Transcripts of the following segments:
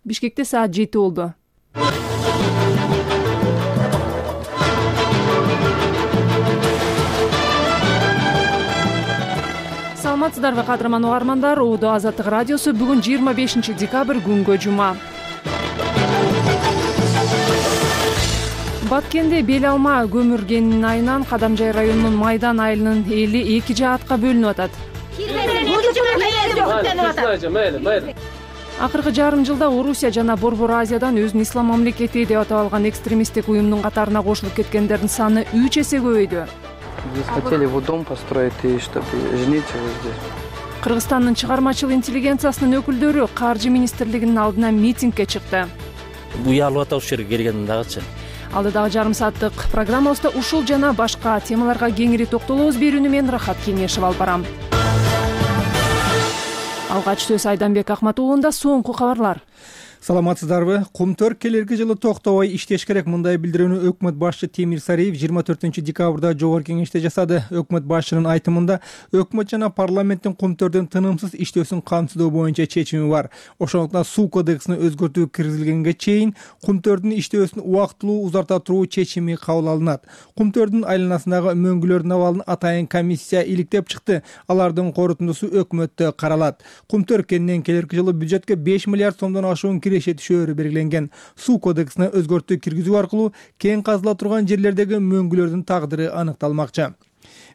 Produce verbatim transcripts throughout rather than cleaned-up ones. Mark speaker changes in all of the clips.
Speaker 1: Бишкекте саат жети болду. Саламатсыздарбы кадырман угармандар, Удо Азаттык радиосу бүгүн жыйырма бешинчи декабрь күнгө жума. Баткенде бел алма көмүргенин айынан Кадамжай районунун Майдан айылынын эли эки жаатка бөлүнүп атат. Акыркы жарым жылда Орусия жана Борбор Азиядан өзүн ислам мамлекети деп атап алган экстремисттик уюмдун катарына кошулуп кеткендердин саны үч эсе көбөйдү.
Speaker 2: Здесь хотели вот дом построить и чтобы жениться вот здесь.
Speaker 1: Кыргызстандын чыгармачыл интеллигенциясынын өкүлдөрү Каржы министрлигинин алдына митингге чыкты.
Speaker 3: Уялып атат ушул жерге келгенден дагычы.
Speaker 1: Алдыдагы жарым сааттык программабызда ушул жана башка темаларга кеңири токтолобуз. Берүүнү мен Рахат Кеңешев алып барам. Алгач сөз Айданбек Акмат уулунда. Соңку кабарлар.
Speaker 4: Саламатсыздарбы? Кумтөр келерки жылы токтобой иштеш керек. Мындай билдирүүнү өкмөт башчы Темир Сариев жыйырма төртүнчү декабрда Жогорку кеңеште жасады. Өкмөт башчынын айтымында өкмөт жана парламенттин кумтөрдүн тынымсыз иштөөсүн камсыздоо боюнча чечими бар. Ошондуктан суу кодексине өзгөртүү киргизилгенге чейин кумтөрдүн иштөөсүн убактылуу узарта туруу чечими кабыл алынат. Кумтөрдүн айланасындагы мөңгүлөрдүн абалын атайын комиссия иликтеп чыкты. Алардын корутундусу өкмөттө каралат. Кумтөр кенинен келерки жылы бюджетке беш миллиард сомдон ашуун киреше түшөөрү белгиленген. Суу кодексине өзгөртүү киргизүү аркылуу кең казыла турган жерлердеги мөңгүлөрдүн тагдыры аныкталмакчы.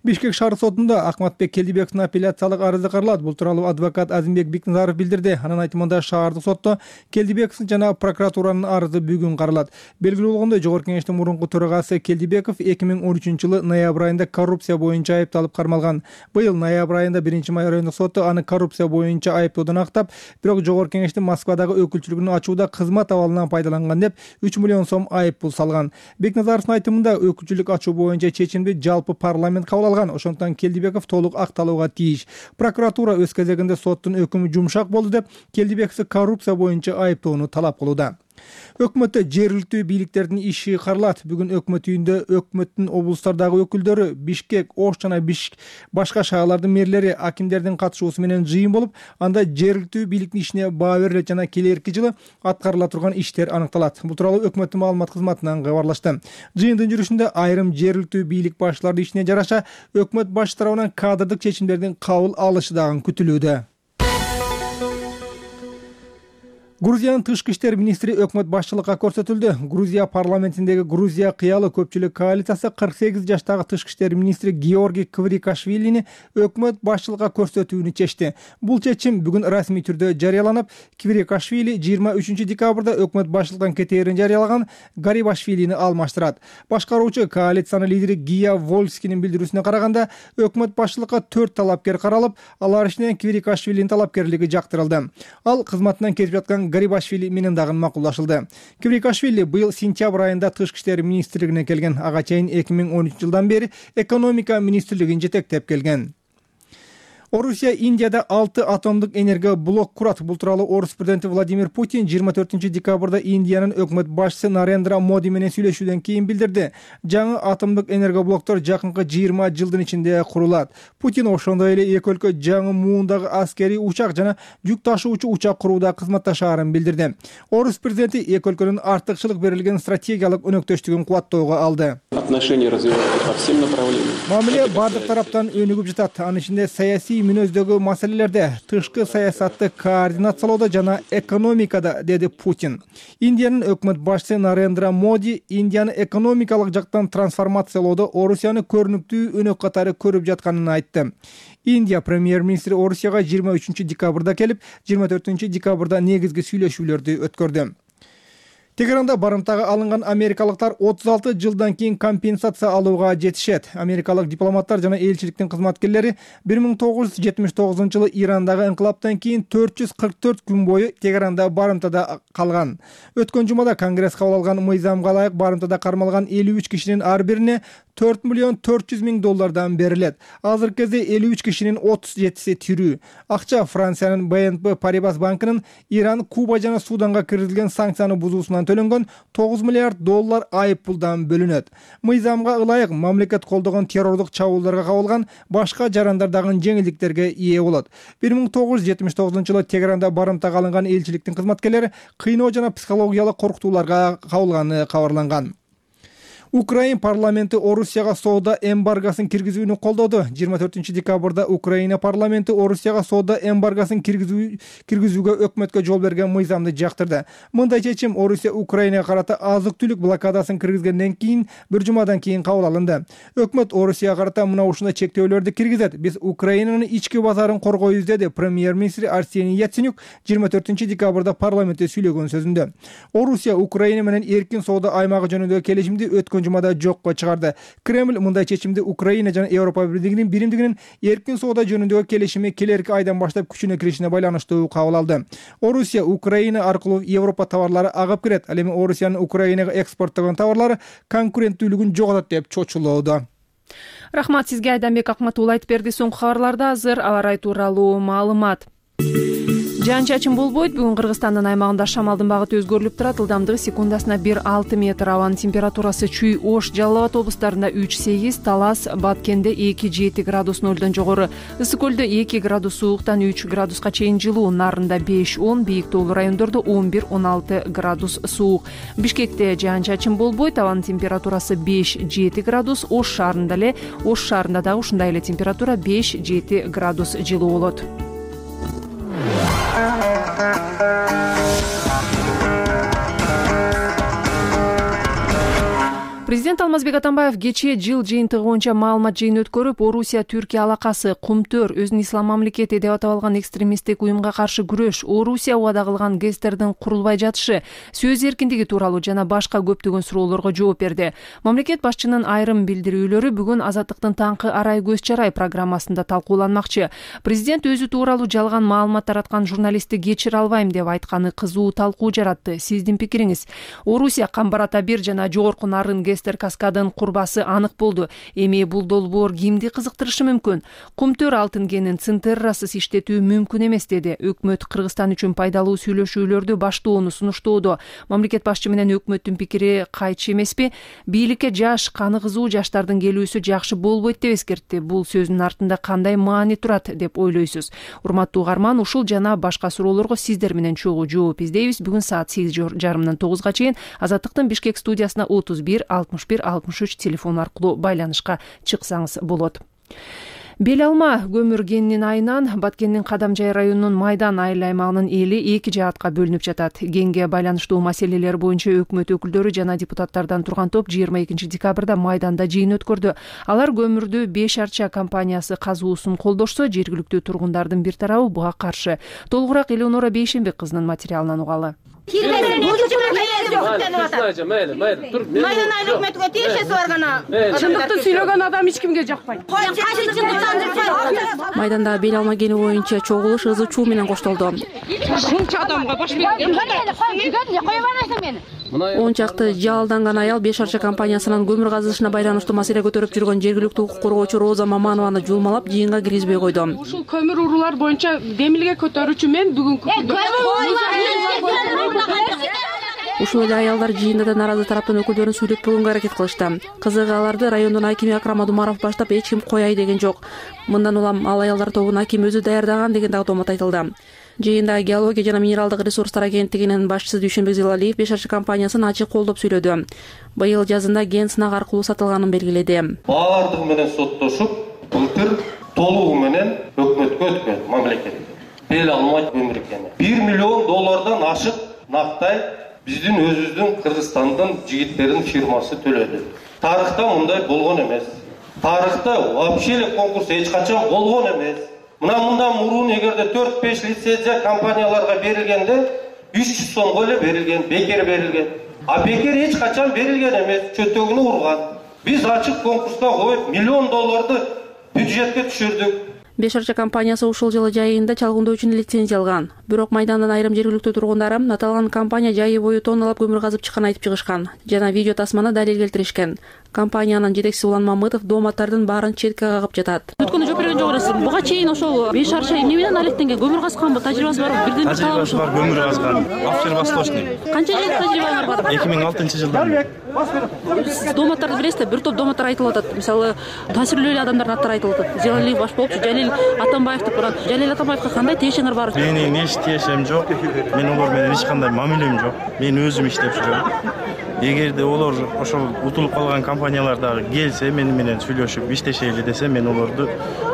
Speaker 4: Бишкек шаар сотунда Акматбек Келдибековдун апелляциялык арызы каралат. Бул тууралуу адвокат Азимбек Бекназаров билдирди. Анын айтымында шаардык сотто Келдибеков жана прокуратуранын арызы бүгүн каралат. Белгилүү болгондой, Жогорку кеңештин мурунку төрагасы Келдибеков эки миң он үчүнчү жылы ноябрь айында коррупция боюнча айыпталып кармалган. Быйыл ноябрь айында биринчи май райондук соту аны коррупция боюнча айыптоодон актап, бирок Жогорку кеңештин Москвадагы өкүлчүлүгүн ачууда кызмат абалынан пайдаланган деп үч миллион сом айып пул салган. Бекназаровдун айтымында өкүлчүлүк ачуу боюнча чечимди жалпы парламент кабыл алган. Ошондуктан Келдибеков толук акталууга тийиш. Прокуратура өз кезегинде соттун өкүмү жумшак болду деп Келдибековду коррупция боюнча айыптоону талап кылууда. Өкмөттө жергиликтүү бийликтердин иши каралат. Бүгүн өкмөт үйүндө өкмөттүн облустардагы өкүлдөрү, Бишкек, Ош жана Бишкек башка шаарлардын мэрлери, акимдердин катышуусу менен жыйын болуп, анда жергиликтүү бийликтин ишине баа берилет жана келерки жылы аткарыла турган иштер аныкталат. Бул тууралуу өкмөттүн маалымат кызматынан кабарлашты. Жыйындын жүрүшүндө айрым жергиликтүү бийлик башчыларынын ишине жараша өкмөт башчы тарабынан кадрдык чечимдердин кабыл алышы дагы күтүлүүдө. Грузиянын тышкы иштер министри өкмөт башчылыкка көрсөтүлдү. Грузия парламентиндеги Грузия кыялы көпчүлүк коалициясы кырк сегиз жаштагы тышкы иштер министри Георгий Кврикашвилини өкмөт башчылыкка көрсөтүүнү чечти. Бул чечим бүгүн расмий түрдө жарыяланып, Кврикашвили жыйырма үчүнчү декабрда өкмөт башчылыктан кетээрин жарыялаган Гарибашвилини алмаштырат. Башкаруучу коалициянын лидери Гия Вольскинин билдирүүсүнө караганда, өкмөт башчылыкка төрт талапкер каралып, алар ичинен Кврикашвилинин талапкерлиги жактырылды. Ал кызматынан кетип жаткан Гарибашвили менен дагы макулдашылды. Кврикашвили быйыл сентябрь айында тышкы иштер министрлигине келген. Ага чейин эки миң он үчүнчү жылдан бери экономика министрлигин жетектеп келген. Орусия Индияда алты атомдук энергия блок курат. Бул тууралуу Орус президенти Владимир Путин жыйырма төртүнчү декабрда Индиянын өкмөт башчысы Нарендра Моди менен сүйлөшүүдөн кийин билдирди. Жаңы атомдук энергия блоктор жакынкы жыйырма жылдын ичинде курулат. Путин ошондой эле эки өлкө жаңы муундагы аскерий учак жана жүк ташуучу учак курууда кызматташаарын билдирди. Орус президенти эки өлкөнүн артыкчылык берилген стратегиялык өнөктөштүгүн кубаттоого алды.
Speaker 5: Отношения развиваются по всем направлениям.
Speaker 4: Мамиле бардык тараптан өнүгүп жатат. Анын ичинде саясий мүнөздөгү маселелерде, тышкы саясатты координациялоодо жана экономикада, деди Путин. Индиянын өкмөт башчысы Нарендра Моди Индияны экономикалык жактан трансформациялоодо Орусияны көрүнүктүү өнөк катары көрүп жатканын айтты. Индия премьер-министри Орусияга жыйырма үчүнчү декабрда келип, жыйырма төртүнчү декабрда негизги сүйлөшүүлөрдү өткөрдү. Тегеранда барымтага алынган америкалыктар отуз алты жылдан кийин компенсация алууга жетишет. Америкалык дипломаттар жана элчиликтин кызматкерлери бир миң тогуз жүз жетимиш тогузунчу жылы Ирандагы инкылаптан кийин төрт жүз кырк төрт күн бою Тегеранда барымтада калган. Өткөн жумада Конгресс кабыл алган мыйзамга ылайык барымтада кармалган элүү үч кишинин ар бирине төрт миллион төрт жүз миң доллардан берилет. Азыркы кезде элүү үч кишинин отуз жетиси тирүү. Акча Франциянын бэ эн пэ Paribas банкынын Иран, Куба жана Суданга киргизилген санкцияны бузуусунан төлөнгөн тогуз миллиард доллар айып пулдан бөлүнөт. Мыйзамга ылайык мамлекет колдогон террордук чабуулдарга кабылган башка жарандар дагы жеңилдиктерге ээ болот. бир миң тогуз жүз жетимиш тогузунчу жылы Тегеранда барымтага алынган элчиликтин кызматкерлери кыйноо жана психологиялык коркутууларга кабылганы кабарланган. Украин парламенти Орусияга соода эмбаргосын киргизүүнү колдоду. жыйырма төртүнчү декабрда Украина парламенти Орусияга соода эмбаргосын киргизүү киргизүүгө өкмөткө жол берген мыйзамды жактырды. Мындай чечим Орусия Украинага карата азык-түлүк блокадасын киргизгенден кийин бир жумадан кийин кабыл алынды. Өкмөт Орусияга карата мына ушундай чектөөлөрдү киргизет. Биз Украинанын ички базарын коргойбуз, деди премьер-министр Арсений Яценюк жыйырма төртүнчү декабрда парламентте сүйлөгөн сөзүндө. Орусия Украина менен эркин соода аймагы жөнүндөгү келишимди өткөн жумада жокко чыгарды. Кремль мындай чечимди Украина жана Европа Биримдигинин биримдигинин эркин соода жөнүндөгү келишими келерки айдан баштап күчүнө киришине байланыштуу кабыл алды. Орусия Украина аркылуу Европа товарлары агып кирет. Ал эми Орусиянын Украинага экспорттогон товарлары конкуренттүүлүгүн жоготот деп чочулоодо.
Speaker 1: Рахмат сизге, Айданбек Акматул айтып берди. Соңку кабарларда азыр аба ырайы тууралуу маалымат. Жаан-чачын болбойт. Бүгүн Кыргызстандын аймагында шамалдын багыты өзгөрүлүп турат. Ылдамдыгы секундасына бир алты метр. Абанын температурасы Чүй, Ош, Жалал Абад облустарында үч сегиз, Талас, Баткенде эки жети градус нөлдөн жогору, Ысык көлдө эки градус сууктан үч градуска чейин жылуу, Нарында беш он, бийик тоолуу райондордо он бир он алты градус суук. Бишкекте жаан-чачын болбойт. Абанын температурасы беш жети градус. Ош шаарында эле, Ош шаарында дагы ушундай эле температура беш жети градус жылуу болот. Президент Алмазбек Атамбаев кечээ жыл жыйынтыгы боюнча маалымат жыйын өткөрүп, Орусия Түркия алакасы, Кумтөр, өзүн ислам мамлекети деп атап алган экстремисттик уюмга каршы күрөш, Орусия убада кылган гэстердин курулбай жатышы, сөз эркиндиги тууралуу жана башка көптөгөн суроолорго жооп берди. Мамлекет башчынын айрым билдирүүлөрү бүгүн Азаттыктын таңкы арай көз чарай программасында талкууланмакчы. Президент өзү тууралуу жалган маалымат тараткан журналистти кечире албайм деп айтканы кызуу талкуу жаратты. Сиздин пикириңиз? Орусия Камбар-Ата бир жана жогорку Нарын каскадын курбасы анык болду. Эми бул долбоор кимди кызыктырышы мүмкүн? Кумтөр алтын кенин цинтеррасыз иштетүү мүмкүн эмес, деди. Өкмөт Кыргызстан үчүн пайдалуу сүйлөшүүлөрдү баштоону сунуштоодо. Мамлекет башчы менен өкмөттүн пикири кайчы эмеспи? Бийликке жаш, каны кызуу жаштардын келүүсү жакшы болбойт деп эскертти. Бул сөздүн артында кандай маани турат деп ойлойсуз? Урматтуу угарман, ушул жана башка суроолорго сиздер менен чогуу жооп издейбиз. Бүгүн саат сегиз жарымдан тогузга чейин Азаттыктын Бишкек студиясына отуз бир алтымыш бир алтымыш үч телефон аркылуу байланышка чыксаңыз болот. Бел алма көмүр кенинин айынан Баткендин Кадамжай районунун Майдан айыл аймагынын эли эки жаатка бөлүнүп жатат. Кенге байланыштуу маселелер боюнча өкмөт өкүлдөрү жана депутаттардан турган топ жыйырма экинчи декабрда Майданда жыйын өткөрдү. Алар көмүрдү Беш Арча компаниясы казуусун колдошсо, жергиликтүү тургундардын бир тарабы буга каршы. Толугураак Элеонора Бейшенбек кызынын материалынан угалы.
Speaker 6: Чындыкты сүйлөгөн адам эч кимге жакпайт.
Speaker 7: Майданда бел алма кени боюнча чогулуш ызы чуу менен коштолду.
Speaker 6: Ушунча адамга баш
Speaker 7: он чакты жалданган аял Беш Арча компаниясынын көмүр казышына байланыштуу маселе көтөрүп жүргөн жергиликтүү укук коргоочу Роза Маманованы жулмалап жыйынга киргизбей койду.
Speaker 6: Ушул көмүр уруулар боюнча демилге көтөрүүчү мен бүгүнкү
Speaker 7: Ушул эле аялдар жыйында да наразы тараптын өкүлдөрүн сүйлөтпөгөнгө аракет кылышты. Кызыгы аларды райондун акими Акрам Адумаров баштап эч ким кояй деген жок. Мындан улам ал аялдар тобун аким өзү даярдаган деген дагы томот айтылды. Жыйында геология жана минералдык ресурстар агенттигинин башчысы Дүйшөнбек Зилалиев Беш Арча компаниясын ачык колдоп сүйлөдү. Быйыл жазында ген сынак аркылуу сатылганын белгиледи.
Speaker 8: Баардыгы менен соттошуп, былтыр толугу менен өкмөткө өткөн мамлекет. Бел алмай көмүр экени. бир миллион доллардан ашык нактай биздин өзүбүздүн Кыргызстандын жигиттеринин фирмасы төлөдү. Тарыхта мындай болгон эмес. Тарыхта вообще эле конкурс эч качан болгон эмес. Мына мындан мурун эгерде төрт беш лицензия компанияларга берилгенде үч жүз сомго эле берилген, бекер берилген. А бекер эч качан берилген эмес, чөтөгүнү урган. Биз ачык конкурска коюп миллион долларды бюджетке түшүрдүк.
Speaker 7: Беш Арча компаниясы ушул жылы жайында чалгындоо үчүн лицензия алган. Бирок Майдандан айрым жергиликтүү тургундары аталган компания жайы бою тонналап көмүр казып чыкканын айтып чыгышкан жана видео тасманы далил келтиришкен. Компаниянын жетекчиси Улан Мамытов дооматтардын баарын четке кагып жатат. Өткөндө жооп берген жок элесиз. Буга чейин ошол беш шарча эмне менен алектенген? Көмүр казганбы? Тажрыйбасы барбы? Бирден бир
Speaker 9: тажрыйбасы бар, көмүр казган. Обсервосточный.
Speaker 7: Канча жыл тажрыйбаңар бар?
Speaker 9: эки миң алтынчы жылдан.
Speaker 7: Дооматтарды билесизби? Бир топ дооматтар айтылып атат. Мисалы, таасирлүү адамдардын аттары айтылып атат. Зелалиев баш болчу, Жалил Атамбаев деп барат. Жалил Атамбаевга кандай тиешеңер бар?
Speaker 9: Менин эч тиешем жок. Мен олар менен эч кандай мамилем жок. Мен өзүм иштеп жүрөм. Эгерде олар ошол утулуп калган компаниялар дагы келсе, мени менен сүйлөшүп иштешели десе, мен олорду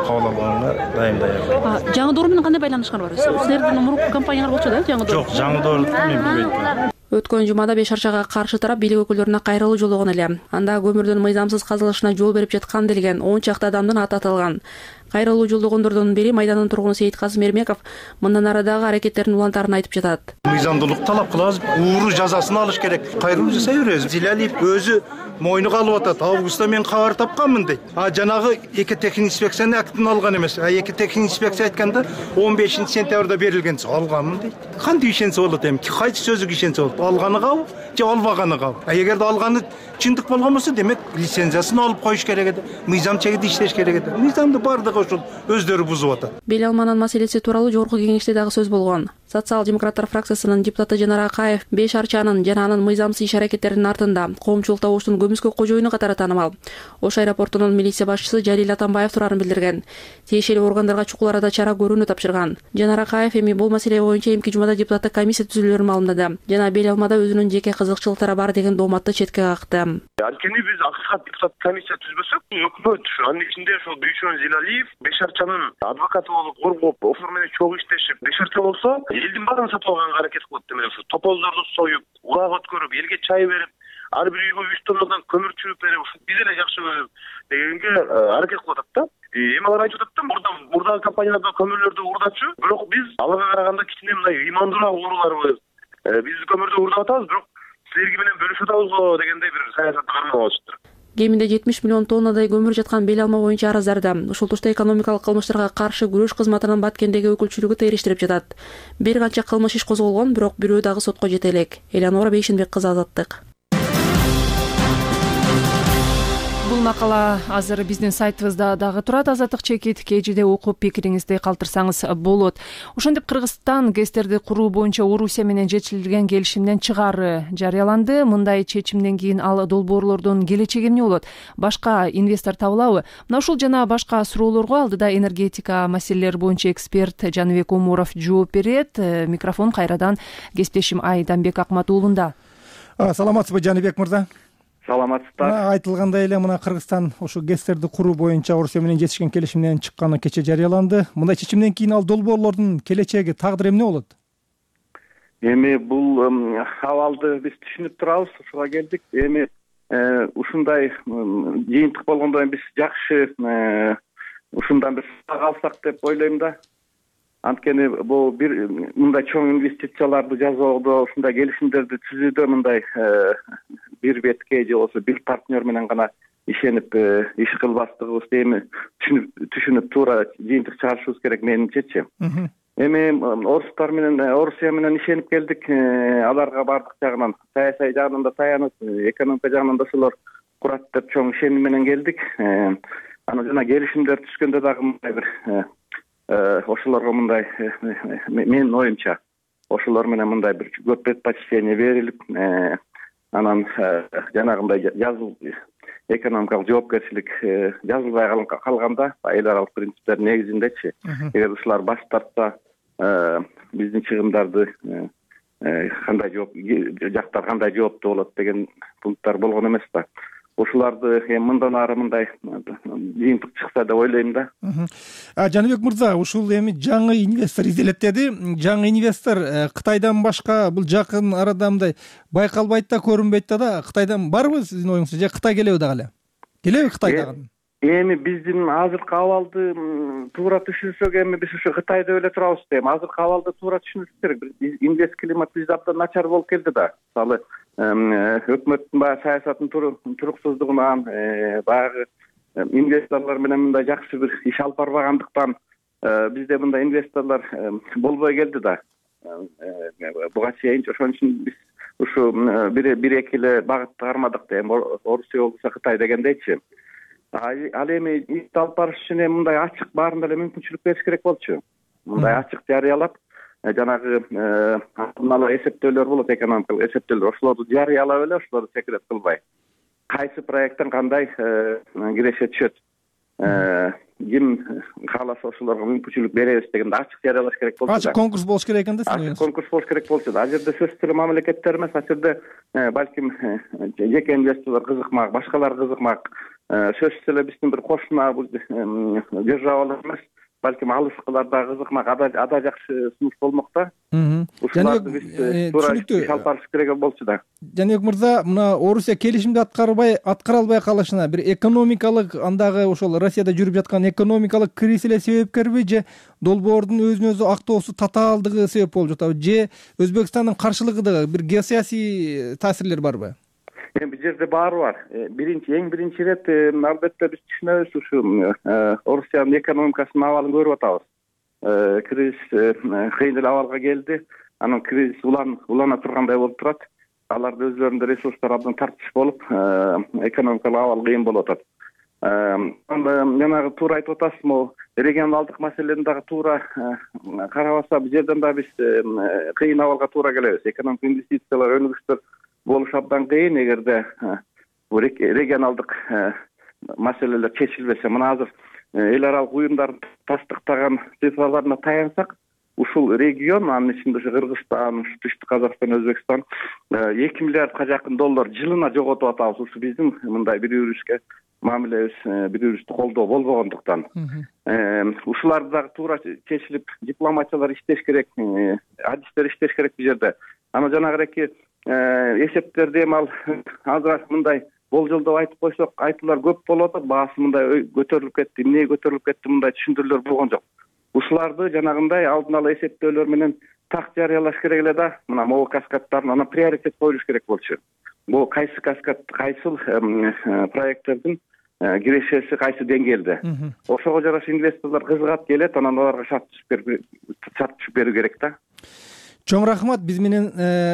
Speaker 9: кабыл алганга дайым даярмын.
Speaker 7: Жаңы Доор менен кандай байланышкан бар? Силердин мурунку компаниялар болчу да, Жаңы Доор?
Speaker 9: Жок, Жаңы Доорду мен билбейм.
Speaker 7: Өткөн жумада беш шарчага каршы тарап бийлик өкүлдөрүнө кайрылуу жолдогон эле. Анда көмүрдүн мыйзамсыз казылышына жол берип жаткан делген он чакты адамдын аты аталган. Кайрылуу жолдогондордун бири Майдандын тургуну Сейиткасым Эрмеков мындан ары дагы аракеттердин улантарын айтып жатат.
Speaker 10: Мыйзамдуулук талап кылабыз, ууру жазасын алыш керек. Кайрылуу жасай беребиз. Зилалиев өзү мойнуга алып атат. Августта мен кабар тапканмын дейт. А жанагы эки техник инспекциянын актын алган эмес. А эки техник инспекция айтканда он бешинчи сентябрда берилген. Алганмын дейт. Кантип ишенсе болот эми? Кайсы сөзүгө ишенсе болот? Алганы кабыл же албаганы кабыл? А эгерде алганы чындык болгон болсо, демек лицензиясын алып коюш керек эди. Мыйзам чегинде иштеш керек эди. Мыйзамды бардыгы ошол өздөрү бузуп атат.
Speaker 7: Бел алманын маселеси тууралуу жогорку кеңеште дагы сөз болгон. Социал-демократтар фракциясынын депутаты Жанар Акаев беш шарчанын жана анын мыйзамсыз иш аракеттеринин артында коомчулук табуштун көмүскө кожоюну катары таанымал. Ош аэропортунун милиция башчысы Жалил Атамбаев турарын билдирген. Тиешелүү органдарга чукул арада чара көрүүнү тапшырган. Жанар Акаев эми бул маселе боюнча эмки жумада депутаттык комиссия түзүлөрүн маалымдады. Жана Бел алмада өзүнүн жеке кызыкчылыктары бар деген дооматты четке какты.
Speaker 11: Анткени биз акыркат депутат комиссия түзбөсөк, өкмөт анын ичинде ошол Дүйшөн Зилалиев беш шарчанын адвокаты болуп коргоп, ошол менен чогуу иштешип, беш шарча болсо элдин баарын сатып алганга аракет кылат демек ошо тополдорду союп, угак өткөрүп, элге чай берип, ар бир үйгө үч тоннадан көмүр чүгүп берип, биз эле жакшы көрүп дегенге аракет кылып атат да. Эми алар айтып атат да, мурда мурдагы компанияларда көмүрлөрдү уурдачу, бирок биз аларга караганда кичине мындай ыймандуураак ууруларбыз. Биз көмүрдү уурдап атабыз, бирок силерге менен бөлүшүп атабыз го дегендей бир саясатты кармап алышыптыр.
Speaker 7: Кеминде жетимиш миллион тоннадай көмүр жаткан Бел алма боюнча арыздарды ушул тушта экономикалык кылмыштарга каршы күрөш кызматынын Баткендеги өкүлчүлүгү териштирип жатат. Бир канча кылмыш иш козголгон, бирок бирөө дагы сотко жете элек. Элеонора Бейшенбек кызы, Азаттык.
Speaker 1: Бул макала азыр биздин сайтыбызда дагы турат. Азаттык чекит кежиде окуп пикириңизди калтырсаңыз болот. Ошондип Кыргызстан гэстерди куруу боюнча Орусия менен жетишилген келишимден чыгаары жарыяланды. Мындай чечимден кийин ал долбоорлордун келечеги эмне болот? Башка инвестор табылабы? Мына ушул жана башка суроолорго алдыда энергетика маселелери боюнча эксперт Жаныбек Омуров жооп берет. Микрофон кайрадан кесиптешим Айданбек Акматуулунда.
Speaker 4: Саламатсызбы Жаныбек мырза?
Speaker 11: Саламатсыздар.
Speaker 4: Айтылгандай эле мына Кыргызстан ушу гэстерди куруу боюнча Орусия менен жетишкен келишимден чыкканы кече жарыяланды. Мындай чечимден кийин ал долбоорлордун келечеги, тагдыры эмне болот?
Speaker 11: Эми бул абалды биз түшүнүп турабыз, ушуга келдик. Эми ушундай жыйынтык болгондон кийин биз жакшы ушундан бир сабак алсак деп ойлойм да. Анткени бул бир мындай чоң инвестицияларды жасоодо, ушундай келишимдерди түзүүдө мындай бир бетке же болбосо бир партнер менен гана ишенип иш кылбастыгыбызды эми түшүнүп түшүнүп туура жыйынтык чыгарышыбыз керек менимчечи. Эми орустар менен Орусия менен ишенип келдик. Аларга бардык жагынан, саясий жагынан да таянып, экономика жагынан да ошолор курат деп чоң ишеним менен келдик. Анан жана келишимдер түзгөндө дагы мындай бир ошолорго мындай менин оюмча ошолор менен мындай бир көп предпочтение берилип, анан жанагындай жазыл экономикалык жоопкерчилик жазылбай калганда эл аралык принциптер негизиндечи, эгер ушулар баш тартса биздин чыгымдарды кандай жооп жактар кандай жооптуу болот деген пункттар болгон эмес да. Ошоларды эми мындан ары мындай жыйынтык чыкса деп ойлойм да.
Speaker 4: Жаныбек мырза, ушул эми жаңы инвестор изделет деди. Жаңы инвестор Кытайдан башка бул жакын арада мындай байкалбайт да, көрүнбөйт да. Кытайдан барбы сиздин оюңузча, же Кытай келеби дагы эле? Келеби Кытай дагы?
Speaker 11: Эми биздин азыркы абалды туура түшүнсөк, эми биз ушу Кытай деп эле турабыз да. Эми азыркы абалды туура түшүнүш керек. Инвест климат бизде абдан начар болуп келди да. Мисалы өкмөттүн баягы саясатынын туруксуздугунан, баягы инвесторлор менен мындай жакшы бир иш алып барбагандыктан бизде мындай инвесторлор болбой келди да. Буга чейин ошон үчүн биз ушу бир бир эки эле багытты кармадык да, эми Орусия болбосо Кытай дегендейчи. Ал эми ишти алып барыш үчүн эми мындай ачык баарында эле мүмкүнчүлүк бериш керек болчу. Мындай ачык жарыялап, жанагы алдын эсептөөлөр болот, экономикалык эсептөөлөр, ошолорду жарыялап эле ошолорду секрет кылбай, кайсы проекттен кандай киреше түшөт, ким кааласа ошолорго мүмкүнчүлүк беребиз дегенде ачык жарыялаш керек болчу.
Speaker 4: Ачык конкурс болуш керек экен да.
Speaker 11: Ачык конкурс болуш керек болчу да. Ал жерде сөзсүз эле мамлекеттер эмес, ал жерде балким жеке инвесторлор кызыкмак, башкалар кызыкмак, сөзсүз эле биздин бир кошуна державалар эмес, балким алыскылар да кызыкмак, ада жакшы сунуш болмок да. Ушуларды биз туура алып барыш керек болчу да.
Speaker 4: Жаныбек мырза, мына Орусия келишимди аткарбай аткара албай калышына бир экономикалык, андагы ошол Россияда жүрүп жаткан экономикалык кризис эле себепкерби, же долбоордун өзүнө өзү актоосу татаалдыгы себеп болуп жатабы, же Өзбекстандын каршылыгы да, бир геосаясий таасирлер барбы?
Speaker 11: Эми бул жерде баары бар. Биринчи, эң биринчи ирет албетте биз түшүнөбүз, ушу Орусиянын экономикасынын абалын көрүп атабыз. Кризис кыйын эле абалга келди. Анан кризис улана тургандай болуп турат. Аларды өзлөрүндө ресурстар абдан тартыш болуп, экономикалык абал кыйын болуп атат. Жанагы туура айтып атасыз, могу регионалдык маселени дагы туура карабаса, бул жерден да биз кыйын абалга туура келебиз. Экономик инвестициялар, өнүгүштөр болуш абдан кыйын эгерде регионалдык маселелер чечилбесе. Мына азыр эл аралык уюмдардын тастыктаган цифрларына таянсак, ушул регион, анын ичинде ушу Кыргызстан, Түштүк Казакстан, Өзбекстан эки миллиардка жакын доллар жылына жоготуп атабыз. Ушу биздин мындай бири бирибизге мамилебиз, бири бирибизди колдоо болбогондуктан. Ушуларды дагы туура чечилип, дипломатиялар иштеш керек, адистер иштеш керек бул жерде. Ана жанагы эсептерди эми ал азыр мындай болжолдоп айтып койсок, айтуулар көп болуп атат, баасы мындай көтөрүлүп кетти, эмне көтөрүлүп кетти, мындай түшүндүрүүлөр болгон жок. Ушуларды жанагындай алдын ала эсептөөлөр менен так жарыялаш керек эле да. Мына могу каскадтарын ана приоритет коюлуш керек болчу. Бул кайсы каскад, кайсыл проекттердин кирешеси кайсы деңгээлде. Ошого жараша инвесторлор кызыгат келет, анан аларга шарт түзүп берүү керек да.
Speaker 4: Чоң рахмат. Биз менен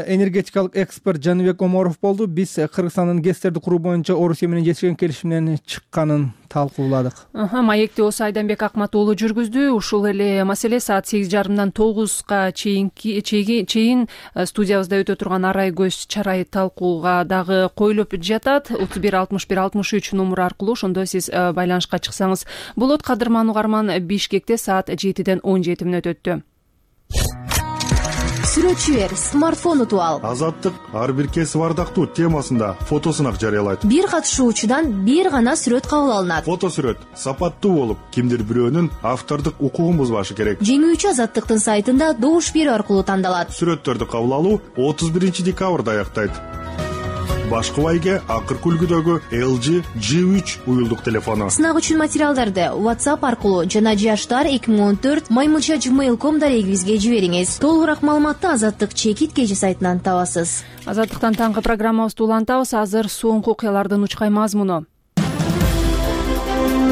Speaker 4: энергетикалык эксперт Жаныбек Оморов болду. Биз Кыргызстандын ГЭСтерди куруу боюнча Орусия менен жетишкен келишимден чыкканын талкууладык.
Speaker 1: Маекти осы Айданбек Акмат уулу жүргүздү. Ушул эле маселе саат сегиз жарымдан тогузга чейин студиябызда өтө турган арай көз чарай талкууга дагы коюлуп жатат. отуз бир алтымыш бир алтымыш үч номуру аркылуу ошондо сиз байланышка чыксаңыз болот. Кадырман Угарман Бишкекте саат жетиден он жети мүнөт өттү.
Speaker 12: Сүрөтчү бер, смартфон утуп ал.
Speaker 13: Азаттык ар бир кесип ардактуу темасында фотосунак жарыялайт.
Speaker 12: Бир катышуучудан бир гана сүрөт кабыл алынат.
Speaker 13: Фото сүрөт сапаттуу болуп, кимдир бирөөнүн автордук укугун бузбашы керек.
Speaker 12: Жеңүүчү Азаттыктын сайтында добуш берүү аркылуу тандалат.
Speaker 13: Сүрөттөрдү кабыл алуу отуз биринчи декабрда аяктайт. Башкы байге акыркы үлгүдөгү эл жи джи үч уюлдук телефону.
Speaker 12: Сынак үчүн материалдарды WhatsApp аркылуу жана жаштар эки миң он төрт маймылча gmail точка ком дарегибизге жибериңиз. Толугураак маалыматты Азаттык чекит кежи сайтынан табасыз.
Speaker 1: Азаттыктан таңкы программабызды улантабыз. Азыр соңку окуялардын учкай мазмуну.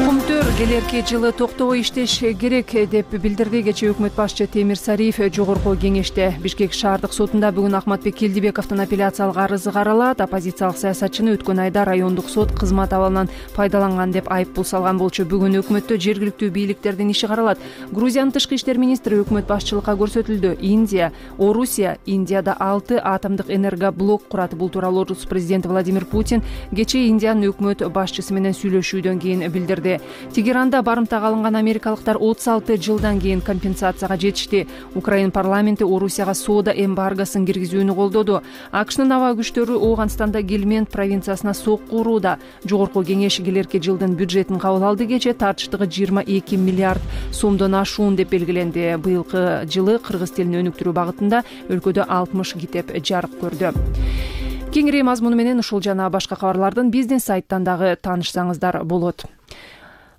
Speaker 1: Кумтөр келерки жылы токтобой иштеш керек деп билдирди. Кечээ өкмөт башчы Темир Сариев жогорку кеңеште. Бишкек шаардык сотунда бүгүн Ахматбек Келдибековдун апелляциялык арызы каралат. Оппозициялык саясатчыны өткөн айда райондук сот кызмат абалынан пайдаланган деп айыппул салган болчу. Бүгүн өкмөттө жергиликтүү бийликтердин иши каралат. Грузиянын тышкы иштер министри өкмөт башчылыкка көрсөтүлдү. Индия, Орусия, Индияда алты атомдук энергоблок курат. Бул тууралуу Орус президенти Владимир Путин кечээ Индиянын өкмөт башчысы менен сүйлөшүүдөн кийин билдирди. Тегеранда барымтага алынган америкалыктар отуз алты жылдан кийин компенсацияга жетишти. Украина парламенти Орусияга соода эмбаргосын киргизүүнү колдоду. АКШнын аба күчтөрү Ооганстанда Гельмент провинциясына сокку урууда. Жогорку кеңеш келерки жылдын бюджетин кабыл алды. Кечээ тартыштыгы жыйырма эки миллиард сомдон ашуун деп белгиленди. Быйылкы жылы кыргыз тилин өнүктүрүү багытында өлкөдө алтымыш китеп жарык көрдү. Кеңири мазмуну менен ушул жана башка кабарлардын биздин сайттан дагы таанышсаңыздар болот.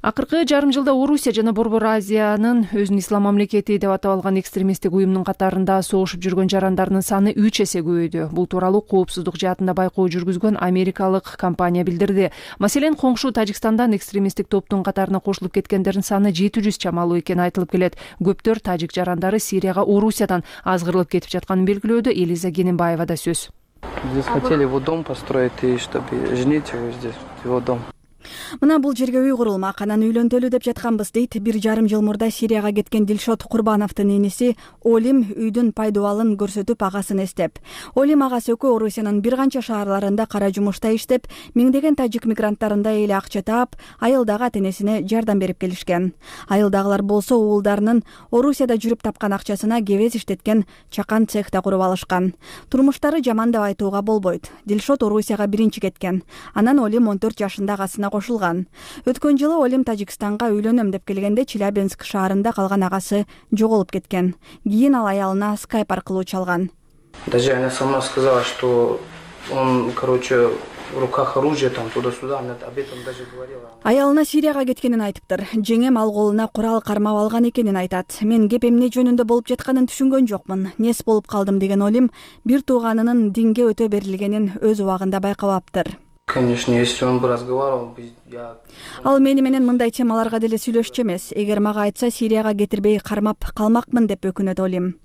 Speaker 1: Акыркы жарым жылда Орусия жана Борбор Азиянын өзүн ислам мамлекети деп атап алган экстремисттик уюмдун катарында согушуп жүргөн жарандардын саны үч эсе көбөйдү. Бул тууралуу коопсуздук жаатында байкоо жүргүзгөн америкалык компания билдирди. Маселен, коңшу Тажикстандан экстремисттик топтун катарына кошулуп кеткендердин саны жети жүз чамалуу экени айтылып келет. Көптөр тажик жарандары Сирияга Орусиядан азгырылып кетип жатканын белгилөөдө. Элиза Кененбаева да сөз.
Speaker 2: Здесь хотели его дом построить, и чтобы женить его здесь, его дом.
Speaker 14: Мына бул жерге үй курулмак, анан үйлөнтөлү деп жатканбыз дейт бир жарым жыл мурда Сирияга кеткен Дилшот Курбановдун иниси Олим үйдүн пайдубалын көрсөтүп агасын эстеп. Олим агасы экөө Орусиянын бир канча шаарларында кара жумушта иштеп, миңдеген тажик мигранттарында эле акча таап, айылдагы ата-энесине жардам берип келишкен. Айылдагылар болсо уулдарынын Орусияда жүрүп тапкан акчасына кебез иштеткен чакан цехта куруп алышкан. Турмуштары жаман деп айтууга болбойт. Дилшот Орусияга биринчи кеткен. Анан Олим он төрт жашында агасына кошулган. Өткөн жылы Олим Тажикстанга үйлөнөм деп келгенде Челябинск шаарында калган агасы жоголуп кеткен. Кийин ал аялына скайп аркылуу чалган.
Speaker 2: Даже она сама сказала, что он, короче, в руках оружие там туда-сюда, она об этом даже говорила.
Speaker 14: Аялына Сирияга кеткенин айтыптыр. Жеңем ал колуна курал кармап алган экенин айтат. Мен кеп эмне жөнүндө болуп жатканын түшүнгөн жокмун. Нес болуп калдым деген Олим бир тууганынын динге өтө берилгенин өз убагында байкабаптыр.
Speaker 2: Конечно, если он бы разговаривал, я...
Speaker 14: Ал мени менен мындай темаларга деле сүйлөшчү эмес. Эгер мага айтса, Сирияга кетирбей кармап калмакмын деп өкүнөт Олим.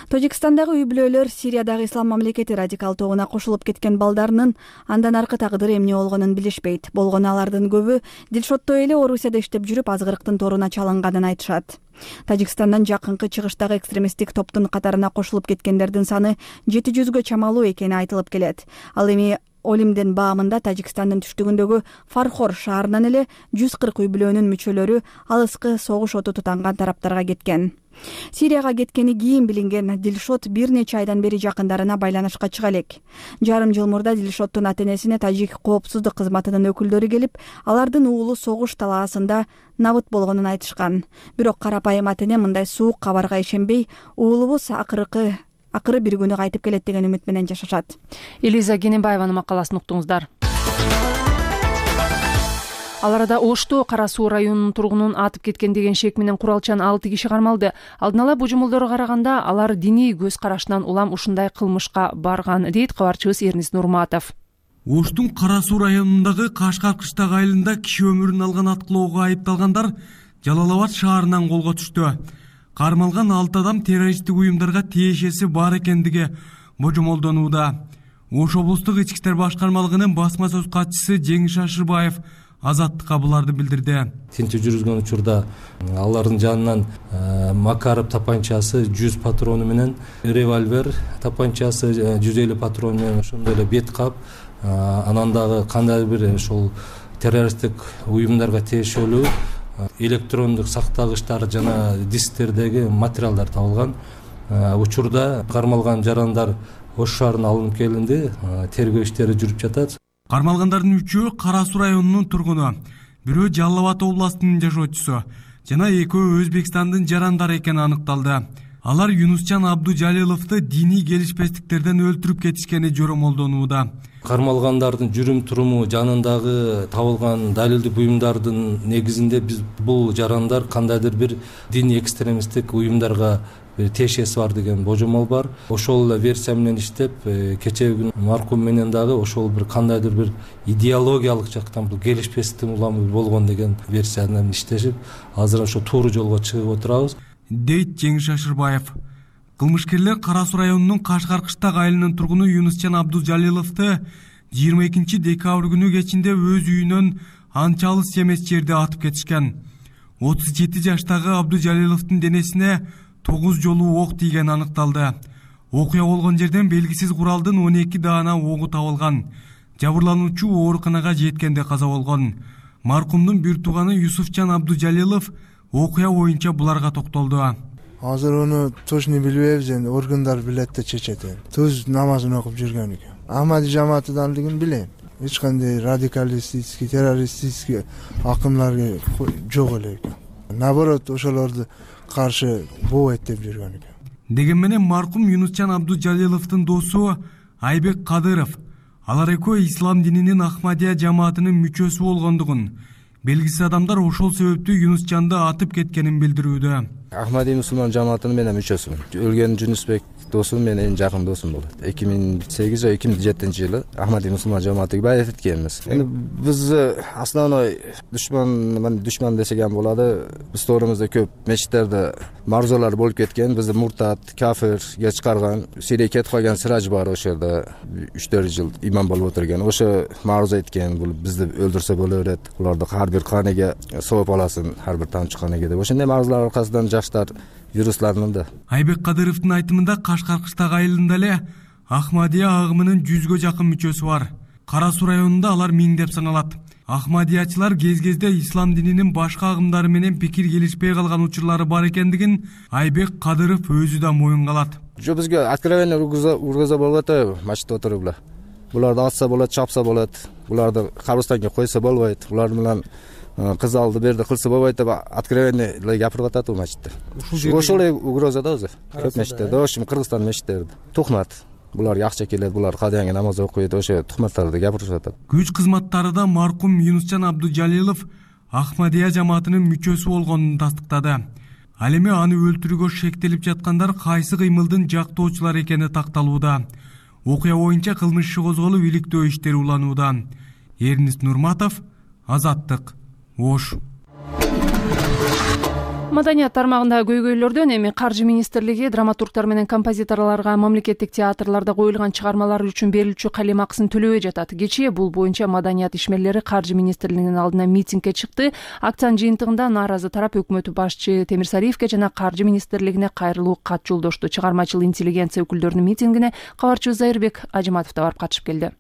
Speaker 14: Тажикстандагы үй бүлөлөр Сириядагы ислам мамлекети радикал тобуна кошулуп кеткен балдарынын андан аркы тагдыры эмне болгонун билишпейт. Болгону алардын көбү Дилшоттой эле Орусияда иштеп жүрүп азгырыктын торуна чалынганын айтышат. Тажикстандан жакынкы чыгыштагы экстремисттик топтун катарына кошулуп кеткендердин саны жети жүзгө чамалуу экени айтылып келет. Ал эми Олимдин баамында Тажикстандын түштүгүндөгү Фархор шаарынан эле жүз кырк үй бүлөнүн мүчөлөрү алыскы согуш оту тутанган тараптарга кеткен. Сирияга кеткени кийин билинген Дилшот бир нече айдан бери жакындарына байланышка чыга элек. Жарым жыл мурда Дилшоттун ата-энесине тажик коопсуздук кызматынын өкүлдөрү келип, алардын уулу согуш талаасында набыт болгонун айтышкан. Бирок карапайым ата-эне мындай суук кабарга ишенбей, уулубуз акыркы акыры бир күнү кайтып келет деген үмүт менен жашашат.
Speaker 1: Элиза Кененбаеванын макаласын уктуңуздар. Ал арада Ошто Кара Суу районунун тургунун атып кеткен деген шек менен куралчан алты киши кармалды. Алдын ала божомолдорго караганда алар диний көз карашынан улам ушундай кылмышка барган, дейт кабарчыбыз Эрнис Нурматов.
Speaker 15: Оштун Кара Суу районундагы Кашкар кыштак айылында киши өмүрүн алган аткылоого айыпталгандар Жалал Абад шаарынан колго түштү. Кармалган алты адам террористтик уюмдарга тиешеси бар экендиги божомолдонууда. Ош облустук ички иштер башкармалыгынын басма сөз катчысы Жеңиш Шашырбаев азаттыкка буларды билдирди.
Speaker 3: Тинтүү жүргүзгөн учурда алардын жанынан Макаров тапанчасы жүз патрону менен, револьвер тапанчасы жүз элүү патрон менен, ошондой эле бет кап, анан дагы кандай бир ошол террористтик уюмдарга тиешелүү электрондук сактагычтар жана дисктердеги материалдар табылган. Учурда кармалган жарандар Ош шаарына алынып келинди, тергөө иштери жүрүп жатат.
Speaker 15: Кармалгандардын үчөө Кара Суу районунун тургуну, бирөө Жалал Абад областынын жашоочусу жана экөө Өзбекстандын жарандары экени аныкталды. Алар Юнусчан Абдужалиловду диний келишпестиктерден өлтүрүп кетишкени жоромолдонууда.
Speaker 3: Кармалгандардын жүрүм туруму жанындагы табылган далилдик буюмдардын негизинде биз бул жарандар кандайдыр бир диний экстремисттик уюмдарга тиешеси бар деген божомол бар. Ошол эле версия менен иштеп, кечеги күнү маркум менен дагы ошол бир кандайдыр бир идеологиялык жактан бул келишпестик улам болгон деген версия менен иштешип, азыр ошо тууру жолго чыгып отурабыз,
Speaker 15: дейт Жеңиш Шашырбаев. Кылмышкерлер Кара Суу районунун Кашкар кыштак айылынын тургуну Юнусчан Абдужалиловду жыйырма экинчи декабрь күнү кечинде өз үйүнөн анча алыс эмес жерде атып кетишкен. отуз жети жаштагы Абдужалиловдун денесине тогуз жолу ок тийгени аныкталды. Окуя болгон жерден белгисиз куралдын он эки даана огу табылган. Жабырлануучу ооруканага жеткенде каза болгон. Маркумдун бир тууганы Юсуфчан Абдужалилов окуя боюнча буларга токтолду.
Speaker 16: Азыр ону точно билбейбиз, энди органдар билет да чечет. Төз намазын окуп жүргөн экен. Ахмади жамаатыдандыгын билем. Эч кандай радикалистический, террористический акымдар жок эле экен. Наоборот, ошолорду каршы боо эттеп жүргөн экен.
Speaker 15: Деген менен маркум Юнусчан Абдужалиловдун досу Айбек Кадыров алар экөө ислам дининин Ахмадия жамаатынын мүчөсү болгондугун, белгисиз адамдар ошол себептүү Юнусчанды атып кеткенин билдирүүдө.
Speaker 17: Ахмадий мусулман жамаатынын мен мүчөсүмүн. Өлгөн Жүнүсбек досум, менин эң жакын досум болот. эки миң сегиз же эки миң жетинчи жылы Ахмадий мусулман жамаатыга байат эткенбиз. Эми биз основной душман, душман десек ham bo'ladi. Биз to'g'rimizda ko'p mechitlarda ma'ruzalar bo'lib ketgan. Bizni murtad, kafirga chiqargan, Siriyaga ketib qolgan Siraj bor o'sha yerda uch to'rt yil imom bo'lib o'tirgan. O'sha ma'ruza aytgan, bu bizni o'ldirsa bo'laveradi. Ularni har bir qoniga sovib olasin, har bir tomchi qoniga deb. O'shanday ma'ruzalar orqasidan yoshlar yuristlarningda.
Speaker 15: Айбек Кадыровдун айтымында Кашкар кыштак айылында эле Ахмадия агымынын жүзгө жакын мүчөсү бар. Кара Суу районунда алар миңдеп саналат. Ахмадиячылар кез-кезде ислам дининин башка агымдары менен пикир келишпей калган учурлары бар экендигин Айбек Кадыров өзү да моюнга алат.
Speaker 17: Жо бизге откровенно ургуза болот, мачта отуруп эле. Буларды атса болот, чапса болот. Буларды кабырстанга койсо болбойт. Булар менен кыз алды берди кылса болбойт деп откровенно эле гапырып атат бул мачтта. Ошол эле угроза да өзү. Көп мечиттерде, ошо Кыргызстан мечиттерде. Тухмат. Булар акча келет, булар кадаңга намаз окуйт, ошо тухматтарды гапырып атат.
Speaker 15: Күч кызматтары да маркум Юнусчан Абдужалилов Ахмадия жамаатынын мүчөсү болгонун тастыктады. Ал эми аны өлтүрүүгө шектелип жаткандар кайсы кыймылдын жактоочулары экени такталууда. Окуя боюнча кылмыш иши козголуп, иликтөө иштери уланууда. Эрнис Нурматов, Азаттык, Ош.
Speaker 1: Маданият тармагында көйгөйлөрдөн эми Каржы министрлиги драматургтар менен композиторлорго мамлекеттик театрларда коюлган чыгармалар үчүн берилчү калем акысын төлөбөй жатат. Кечээ бул боюнча маданият ишмерлери Каржы министрлигинин алдына митингге чыкты. Акциянын жыйынтыгында нааразы тарап өкмөт башчы Темир Сариевке жана Каржы министрлигине кайрылуу кат жолдошту. Чыгармачыл интеллигенция өкүлдөрүнүн митингине кабарчыбыз Зайырбек Ажиматов да барып катышып келди.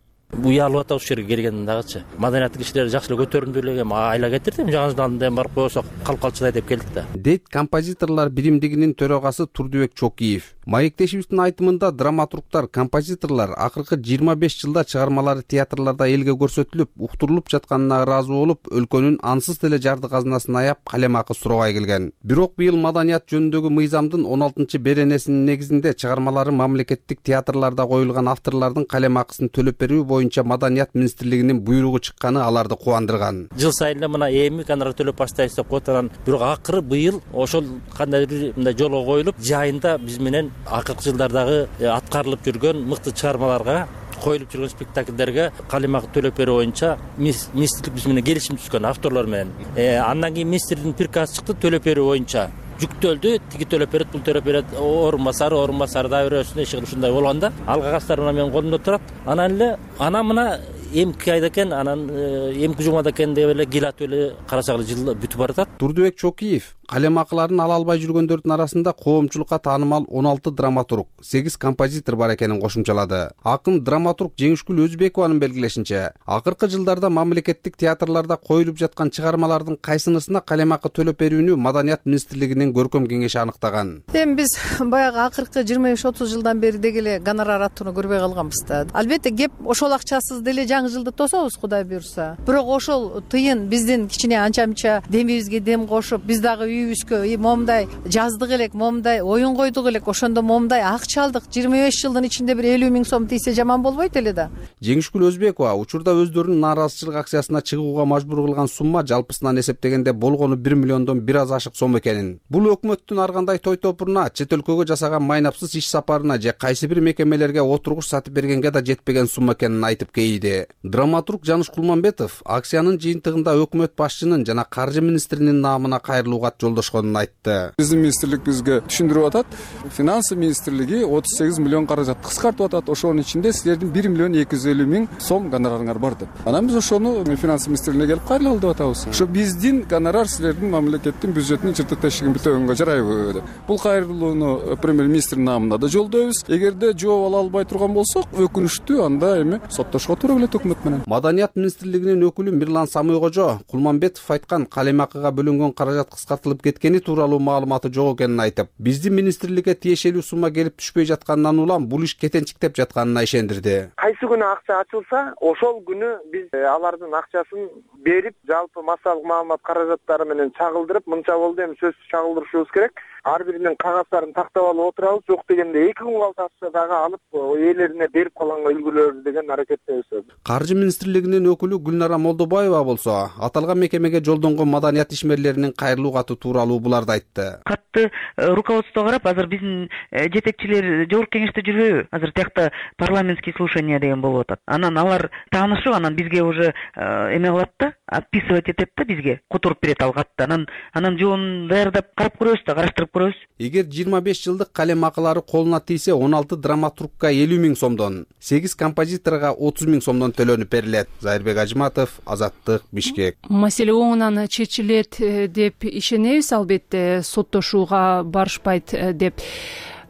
Speaker 18: Уялып атабыз ушул жерге келгенден дагычы. Маданияттык кишилер жакшы эле көтөрүмдүү эле айла кетирдим. Жаңы жылдан барып койсок калп калчылай деп келдик да.
Speaker 19: Дейт композиторлор биримдигинин төрагасы Турдубек Чокиев. Маектешибиздин айтымында драматургтар, композиторлор акыркы жыйырма беш жылда чыгармалары театрларда элге көрсөтүлүп, уктурулуп жатканына ыраазы болуп, өлкөнүн ансыз деле жарды казынасын аяп калемакы сурабай келген. Бирок быйыл маданият жөнүндөгү мыйзамдын он алтынчы беренесинин негизинде чыгармалары мамлекеттик театрларда коюлган авторлордун калемакысын төлөп берүү боюнча маданият министрлигинин буйругу чыкканы аларды кубандырган.
Speaker 18: Жыл сайын эле мына эми гонорар төлөп баштайбыз деп коет анан, бирок акыры быйыл ошол кандайдыр мындай жолго коюлуп, жайында биз менен акыркы жылдардагы аткарылып жүргөн мыкты чыгармаларга, коюлуп жүргөн спектакльдерге калемакы төлөп берүү боюнча министрлик биз менен келишим түзгөн авторлор менен. Андан кийин министрдин приказы чыкты төлөп берүү боюнча. Жүктөлдү, тиги төлөп берет, бул төлөп берет, орун басары, орун басары да бересин, эшик ушундай болгондо, ал кагаздар мына менин колумда турат. Анан эле, анан мына эмки айда экен, анан эмки жумада экен деп эле гилатып эле карасак эле жыл бүтүп баратат.
Speaker 19: Турдубек Чокиев калемакыларын ала албай жүргөндөрдүн арасында коомчулукка таанымал он алты драматург, сегиз композитор бар экенин кошумчалады. Акын драматург Жеңишкүл Өзбекованын белгилешинче, акыркы жылдарда мамлекеттик театрларда коюлуп жаткан чыгармалардын кайсынысына калемакы төлөп берүүнү маданият министрлигинин көркөм кеңеши аныктаган.
Speaker 20: Эми биз баягы акыркы жыйырма беш отуз жылдан бери деги эле гонорар аттууну көрбөй калганбыз да. Албетте кеп ошол акчасыз деле жаңы жылды тособуз, Кудай буюрса. Бирок ошол тыйын биздин кичине анча-мынча демибизге дем кошуп, биз дагы үйүбүзгө момундай жаздык элек, момундай оюн койдук элек, ошондо момундай акча алдык. жыйырма беш жылдын ичинде бир элүү миң сом тийсе жаман болбойт эле да.
Speaker 19: Жеңишкүл Өзбекова учурда өздөрүнүн нааразычылык акциясына чыгууга мажбур кылган сумма жалпысынан эсептегенде болгону бир миллиондон бир аз ашык сом экенин. Бул өкмөттүн ар кандай той топуруна, чет өлкөгө жасаган майнапсыз иш сапарына же кайсы бир мекемелерге отургуч сатып бергенге да жетпеген сумма экенин айтып кейиди. Драматург Жаныш Кулманбетов акциянын жыйынтыгында өкмөт башчынын жана каржы министринин наамына кайрылуу кат жолдошконун айтты.
Speaker 21: Биздин министрлик бизге түшүндүрүп атат. Финансы министрлиги отуз сегиз миллион каражат кыскартып атат. Ошонун ичинде силердин бир миллион эки жүз элүү миң сом гонорарыңар бар деп. Анан биз ошону финансы министрлигине келип кайрылалы деп атабыз. Ошо биздин гонорар силердин мамлекеттин бюджетинин чыртык тешигин бүтөгөнгө жарайбы деп. Бул кайрылууну премьер-министрдин наамына да жолдойбуз. Эгерде жооп ала албай турган болсок, өкүнүчтүү, анда эми соттошко туура келет өкмөт менен.
Speaker 19: Маданият министрлигинин өкүлү Мирлан Самойкожо Кулманбетов айткан калемакыга бөлүнгөн каражат кыскартылып кеткени тууралуу маалыматы жок экенин айтып, биздин министрликке тиешелүү сумма келип түшпөй жатканынан улам бул иш кетенчиктеп жатканына ишендирди.
Speaker 22: Кайсы күнү акча ачылса, ошол күнү биз алардын акчасын берип, жалпы массалык маалымат каражаттары менен чагылдырып, мынча болду, эми сөзсүз чагылдырышыбыз керек. ар биринин кагаздарын тактап алып отурабыз, жок дегенде эки күн калтырса дагы алып ээлерине берип калганга үлгүлөбүз деген аракеттебиз.
Speaker 19: Каржы министрлигинин өкүлү Гүлнара Молдобаева болсо аталган мекемеге жолдонгон маданият ишмерлеринин кайрылуу каты тууралуу буларды айтты.
Speaker 5: Катты руководство карап, азыр биздин жетекчилер жогорку кеңеште жүрбөйбү? Азыр тиякта парламентский слушание деген болуп атат. Анан алар таанышып, анан бизге уже эме кылат да, отписывать этет да бизге, которуп берет ал катты. Анан анан жоонун даярдап карап көрөбүз да, караштырып көрөбүз.
Speaker 19: Эгер жыйырма беш жылдык калем акылары колуна тийсе, он алты драматургка элүү миң сомдон, сегиз композиторго отуз миң сомдон төлөнүп берилет. Зайырбек Ажыматов, Азаттык, Бишкек.
Speaker 1: Маселе оңунан чечилет деп ишенебиз, албетте соттошууга барышпайт деп.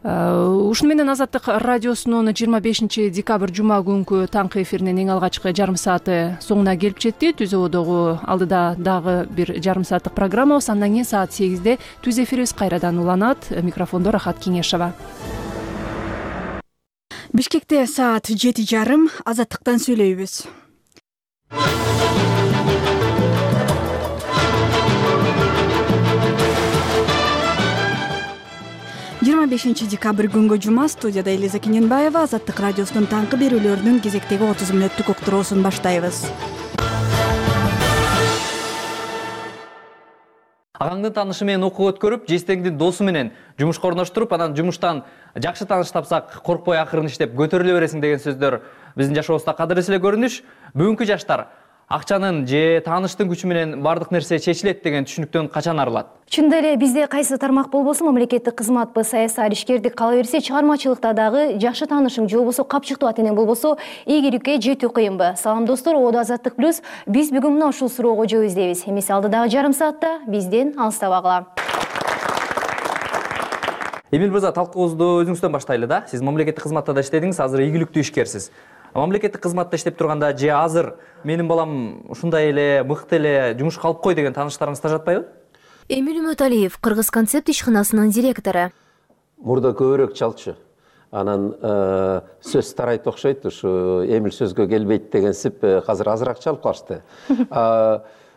Speaker 1: Ушуну менен Азаттык радиосунун жыйырма бешинчи декабрь жума күнкү таңкы эфиринин эң алгачкы жарым сааты соңуна келип жетти. Түз абодогу алдыда дагы бир жарым сааттык программабыз. Андан кийин саат сегизде түз эфирибиз кайрадан уланат. Микрофондо Рахат Кеңешова.
Speaker 14: Бишкекте саат жети жарым. Азаттыктан сүйлөйбүз. жыйырма бешинчи декабрь күнгө жума, студияда Элиза Кененбаева. Азаттык радиосунун таңкы берүүлөрүнүн кезектеги отуз мүнөттүк уктуруусун баштайбыз.
Speaker 6: Агаңдын таанышы менен окуу өткөрүп, жестеңдин досу менен жумушка орноштуруп, анан жумуштан жакшы тааныш тапсак, коркпой акырын иштеп көтөрүлө бересиң деген сөздөр биздин жашообузда кадырлуу эле көрүнүш. Бүгүнкү жаштар акчанын же тааныштын күчү менен бардык нерсе чечилет деген түшүнүктөн качан арылат?
Speaker 12: Чындап эле бизде кайсы тармак болбосун, мамлекеттик кызматпы, саясат, ишкердик кала берсе, чыгармачылыкта дагы жакшы таанышың же болбосо капчыктуу ата энең болбосо ийгиликке жетүү кыйынбы? Салам достор, Оодо Азаттык плюс. Биз бүгүн мына ушул суроого жооп издейбиз. Эмесе алдыдагы жарым саатта бизден алыстабагыла.
Speaker 6: Эмил мырза, талкуубузду өзүңүздөн баштайлы да. Сиз мамлекеттик кызматта да иштедиңиз, азыр ийгиликтүү ишкерсиз. Мамлекеттик кызматта иштеп турганда же азыр менин балам ушундай эле мыкты эле жумушка алып кой деген тааныштарыңызда жатпайбы?
Speaker 12: Эмил Үмөталиев, Кыргыз концепт ишканасынын директору.
Speaker 23: Мурда көбүрөөк чалчу. Анан сөз тарайт окшойт, ушу Эмил сөзгө келбейт дегенсип азыр азыраак чалып калышты.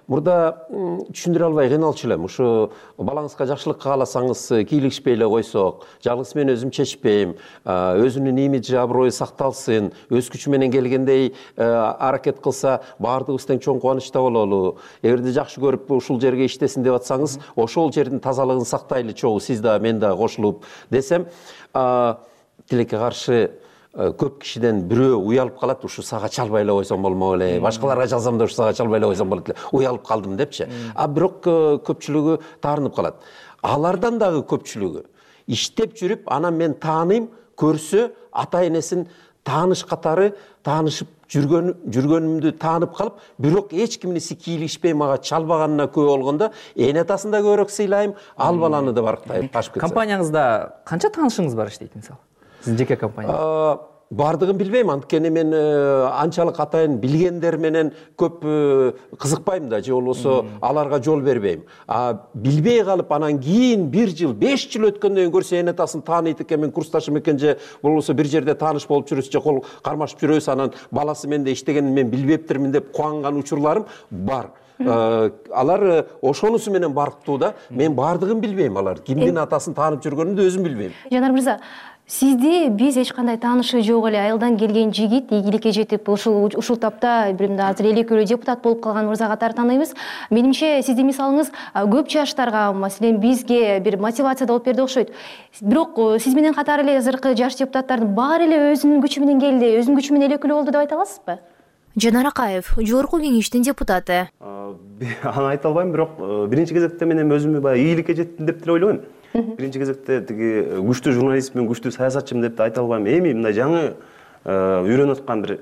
Speaker 23: Мурда түшүндүрө албай кыйналчу элем. Ушу балаңызга жакшылык кааласаңыз, кийлигишпей эле койсок, жалгыз мен өзүм чечпейм, өзүнүн имиджи, аброю сакталсын, өз күчү менен келгендей аракет кылса, баардыгыбыз тең чоң кубанычта бололу. Эгерде жакшы көрүп ушул жерге иштесин деп атсаңыз, ошол жердин тазалыгын сактайлы чогуу, сиз да мен да кошулуп десем, тилекке каршы көп кишиден бирөө уялып калат, ушу сага чалбай эле койсом болмок эле, башкаларга жалсам да ушу сага чалбай эле койсом болот эле, уялып калдым депчи. А бирок көпчүлүгү таарынып калат. Алардан дагы көпчүлүгү иштеп жүрүп, анан мен тааныйм, көрсө ата энесин тааныш катары таанышып жүргөн жүргөнүмдү таанып калып, бирок эч кимниси кийлигишпей мага чалбаганына күбө болгондо, эне атасын да көбүрөөк сыйлайм, ал баланы да барктайм.
Speaker 6: Компанияңызда канча таанышыңыз бар иштейт мисалы? Сиздин жеке компания?
Speaker 23: Бардыгын билбейм, анткени мен анчалык атайын билгендер менен көп кызыкпайм да, же болбосо аларга жол бербейм. А билбей калып анан кийин бир жыл, беш жыл өткөндөн кийин көрсө эне атасын тааныйт экен, мен курсташым экен, же болбосо бир жерде тааныш болуп жүрөбүз, же кол кармашып жүрөбүз, анан баласы менде иштегенин мен билбептирмин деп кубанган учурларым бар. Алар ошонусу менен барктуу да, мен бардыгын билбейм, алар кимдин атасын таанып жүргөнүн да өзүм билбейм.
Speaker 12: Жанар мырза, сизди биз эч кандай таанышы жок эле айылдан келген жигит ийгиликке жетип, ушул ушул тапта билимде азыр эл экөөлүү депутат болуп калган мырза катары тааныйбыз. Менимче сиздин мисалыңыз көп жаштарга, маселен бизге бир мотивация болуп берди окшойт. Бирок сиз менен катары эле азыркы жаш депутаттардын баары эле өзүнүн күчү менен келди, өзүнүн күчү менен эл экөөлүү болду деп айта аласызбы? Жанар Акаев, жогорку кеңештин депутаты.
Speaker 24: Аны айта албайм, бирок биринчи кезекте мен эми өзүмү баягы ийгиликке жеттим деп деле ойлойм. Биринчи кезекте тиги күчтүү журналистмин, күчтүү саясатчымын деп айта албайм. Эми мындай жаңы үйрөнүп аткан бир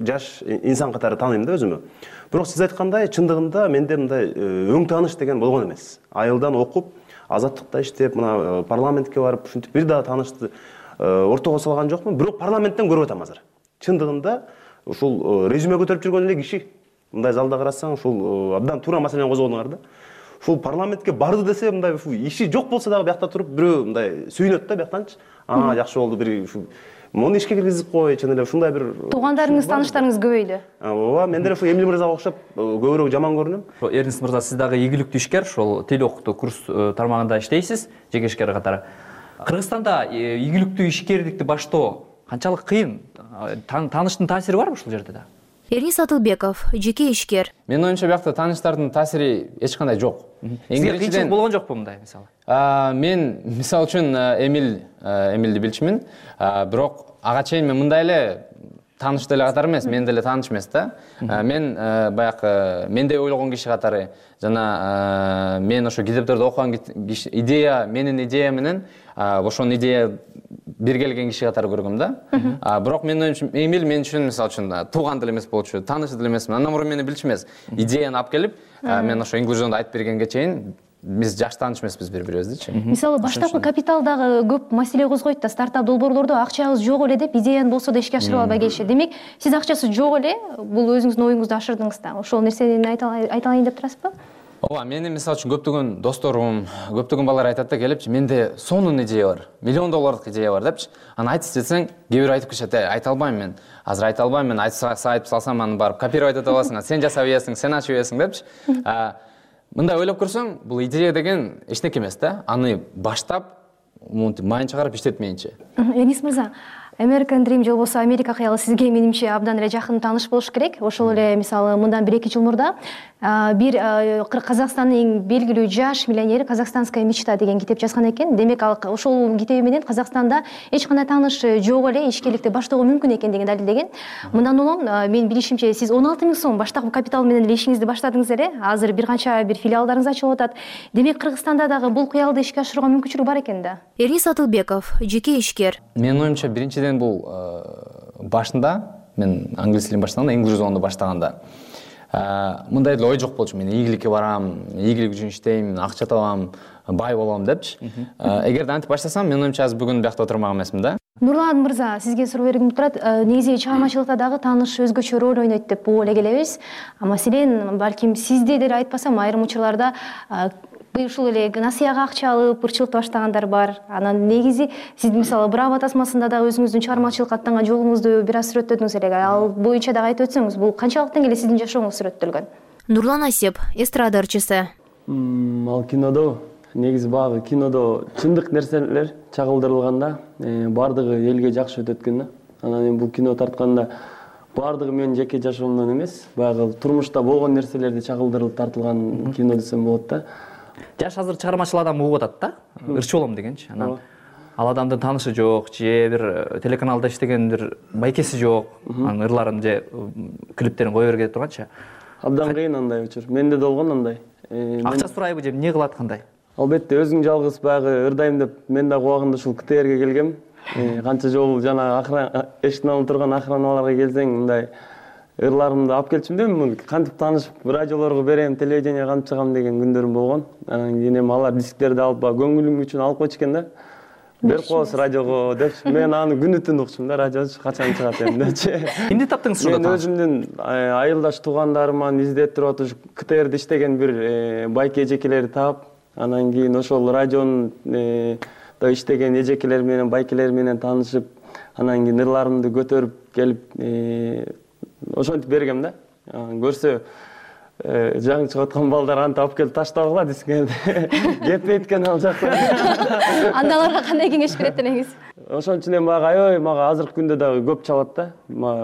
Speaker 24: жаш инсан катары тааныйм да өзүмө. Бирок сиз айткандай, чындыгында менде мындай өң тааныш деген болгон эмес. Айылдан окуп, азаттыкта иштеп, мына парламентке барып, ушинтип бир дагы таанышты ортого салган жокмун. Бирок парламенттен көрүп атам азыр. Чындыгында ушул резюме көтөрүп жүргөн эле киши, мындай залда карасаң, ушул абдан туура маселени козгодуңар да. Ушул парламентке барды десе, мындай иши жок болсо дагы биякта туруп бирөө мындай сүйүнөт да бияктанчы. Аа, жакшы болду, бир муну ишке киргизип кой, чын эле ушундай бир
Speaker 12: туугандарыңыз, тааныштарыңыз көбөйдү.
Speaker 24: ооба, мен деле ушул Эмиль мырзага окшоп көбүрөөк жаман көрүнөм.
Speaker 6: Эрнис мырза, сиз дагы ийгиликтүү ишкер, ошол тил окутуу курс тармагында иштейсиз, жеке ишкер катары. Кыргызстанда ийгиликтүү ишкерликти баштоо канчалык кыйын? Тааныштын таасири барбы ушул жерде да?
Speaker 12: Эрнис Атылбеков, жеке ишкер.
Speaker 7: Менин оюмча биякта тааныштардын таасири эч кандай жок.
Speaker 6: Сизге кыйынчылык болгон жокпу мындай мисалы?
Speaker 7: Мен мисалы үчүн Эмиль Эмилди билчүмүн, бирок ага чейин мен мындай эле тааныш деле катары эмес, мен деле тааныш эмес да. Мен баягы мендей ойлогон киши катары жана мен ошо китептерди окуган идея, менин идея менен ошонун идея бир келген киши катары көргөм да. Бирок менин оюмча Эмиль мен үчүн мисалы үчүн тууган деле эмес болчу, тааныш деле эмесмин. Андан мурун мени билчү эмес. Идеяны алып келип, мен ошо инклюзионду айтып бергенге чейин биз жакшы тааныш эмеспиз бири-бирибиздичи.
Speaker 12: Мисалы баштапкы капиталдагы көп маселе козгойт да, стартап долбоорлордо акчабыз жок эле деп идеяны болсо да ишке ашырып албай келишет. Демек, сиз акчасы жок эле бул өзүңүздүн оюңузду ашырдыңыз да. Ошол нерсени айта алайын деп турасызбы?
Speaker 7: Ооба, менин мисалы үчүн көптөгөн досторум, көптөгөн балдар айтат да келипчи, менде сонун идея бар, миллион доллардык идея бар депчи. Аны айтсы десең, кээ бирөө айтып келишет, айта албайм мен. Азыр айта албайм мен, айтып салсам аны барып копировать эте аласың, сен жасап ийесиң, сен ачып ийесиң депчи. Мындай ойлоп көрсөң, бул идея деген эчтеке эмес да. Аны баштап, монтип майын чыгарып иштетмейинче.
Speaker 12: Эрнис мырза, American Dream же болбосо Америка кыялы сизге менимче абдан эле жакын тааныш болуш керек. Ошол эле мисалы мындан бир эки жыл мурда бир Казакстандын эң белгилүү жаш миллионери «Казахстанская мечта» деген китеп жазган экен. Демек ал ошол китеби менен Казакстанда эч кандай тааныш жок эле ишкерликти баштоого мүмкүн экендигин далилдеген. Мындан улам мен билишимче сиз он алты миң сом баштапкы капитал менен эле ишиңизди баштадыңыз эле. Азыр бир канча бир филиалдарыңыз ачылып атат. Демек Кыргызстанда дагы бул кыялды ишке ашырууга мүмкүнчүлүк бар экен да. Эрнис Атылбеков, жеке ишкер.
Speaker 7: Менин оюмча биринчиден бул башында мен англис тилин баштаганда, инклюзионду баштаганда мындай эле ой жок болчу. Мен ийгиликке барам, ийгилик үчүн иштейм, акча табам, бай болом депчи. Эгерде антип баштасам, менин оюмча азыр бүгүн биякта отурмак эмесмин да.
Speaker 12: Нурлан мырза, сизге суроо бергим турат. Негизи чыгармачылыкта дагы тааныш өзгөчө роль ойнойт деп эле келебиз. Маселен, балким сизде деле айтпасам, айрым учурларда ушул эле насыяга акча алып ырчылыкты баштагандар бар. Анан негизи сиз мисалы Браво тасмасында да өзүңүздүн чыгармачылыкка аттанган жолуңузду бир аз сүрөттөдүңүз эле. Ал боюнча дагы айтып өтсөңүз, бул канчалык деңгээлде сиздин жашооңуз сүрөттөлгөн? Нурлан Асеп, эстрада ырчысы.
Speaker 8: Ал кинодо негизи баягы кинодо чындык нерселер чагылдырылганда баардыгы элге жакшы өтөт экен да. Анан эми бул кино тартканда баардыгы менин жеке жашоомдон эмес, баягы турмушта болгон нерселерди чагылдырылып тартылган кино десем болот да.
Speaker 6: Жаш азыр чыгармачыл адам угуп атат да, ырчы болом дегенчи. Анан ал адамдын таанышы жок, же бир телеканалда иштеген бир байкеси жок, анын ырларын же клиптерин кое берге деп турганчы.
Speaker 8: Абдан кыйын андай учур. Менде да болгон андай.
Speaker 6: Акча сурайбы же эмне кылат кандай?
Speaker 8: Албетте өзүң жалгыз баягы ырдайм деп мен дагы убагында ушул КТРге келгем. Канча жолу жана эшиктин алдында турган охраналарга келсең, мындай ырларымды алып келчүм да, мен кантип таанышып радиолорго берем, телевидение кантип чыгам деген күндөрүм болгон. Анан кийин эми алар дисктерди алып, көңүлүм үчүн алып койчу экен да. Берип коебуз радиого депчи. Мен аны күнү түн укчумун да, радио качан чыгат эми депчи.
Speaker 6: Эмне таптыңыз ушунда?
Speaker 8: Мен өзүмдүн айылдаш туугандарыман издеп туруп атып, КТРде иштеген бир байке эжекелерди таап, анан кийин ошол радионун да иштеген эжекелер менен, байкелер менен таанышып, анан кийин ырларымды көтөрүп келип ошентип бергем да. Көрсө жаңы чыгып аткан балдар антип алып келип таштабагыла дисктерди. Кетпейт экен ал жакта.
Speaker 12: Анда аларга кандай кеңеш берет элеңиз?
Speaker 8: Ошон үчүн эми мага аябай мага азыркы күндө дагы көп чалат да.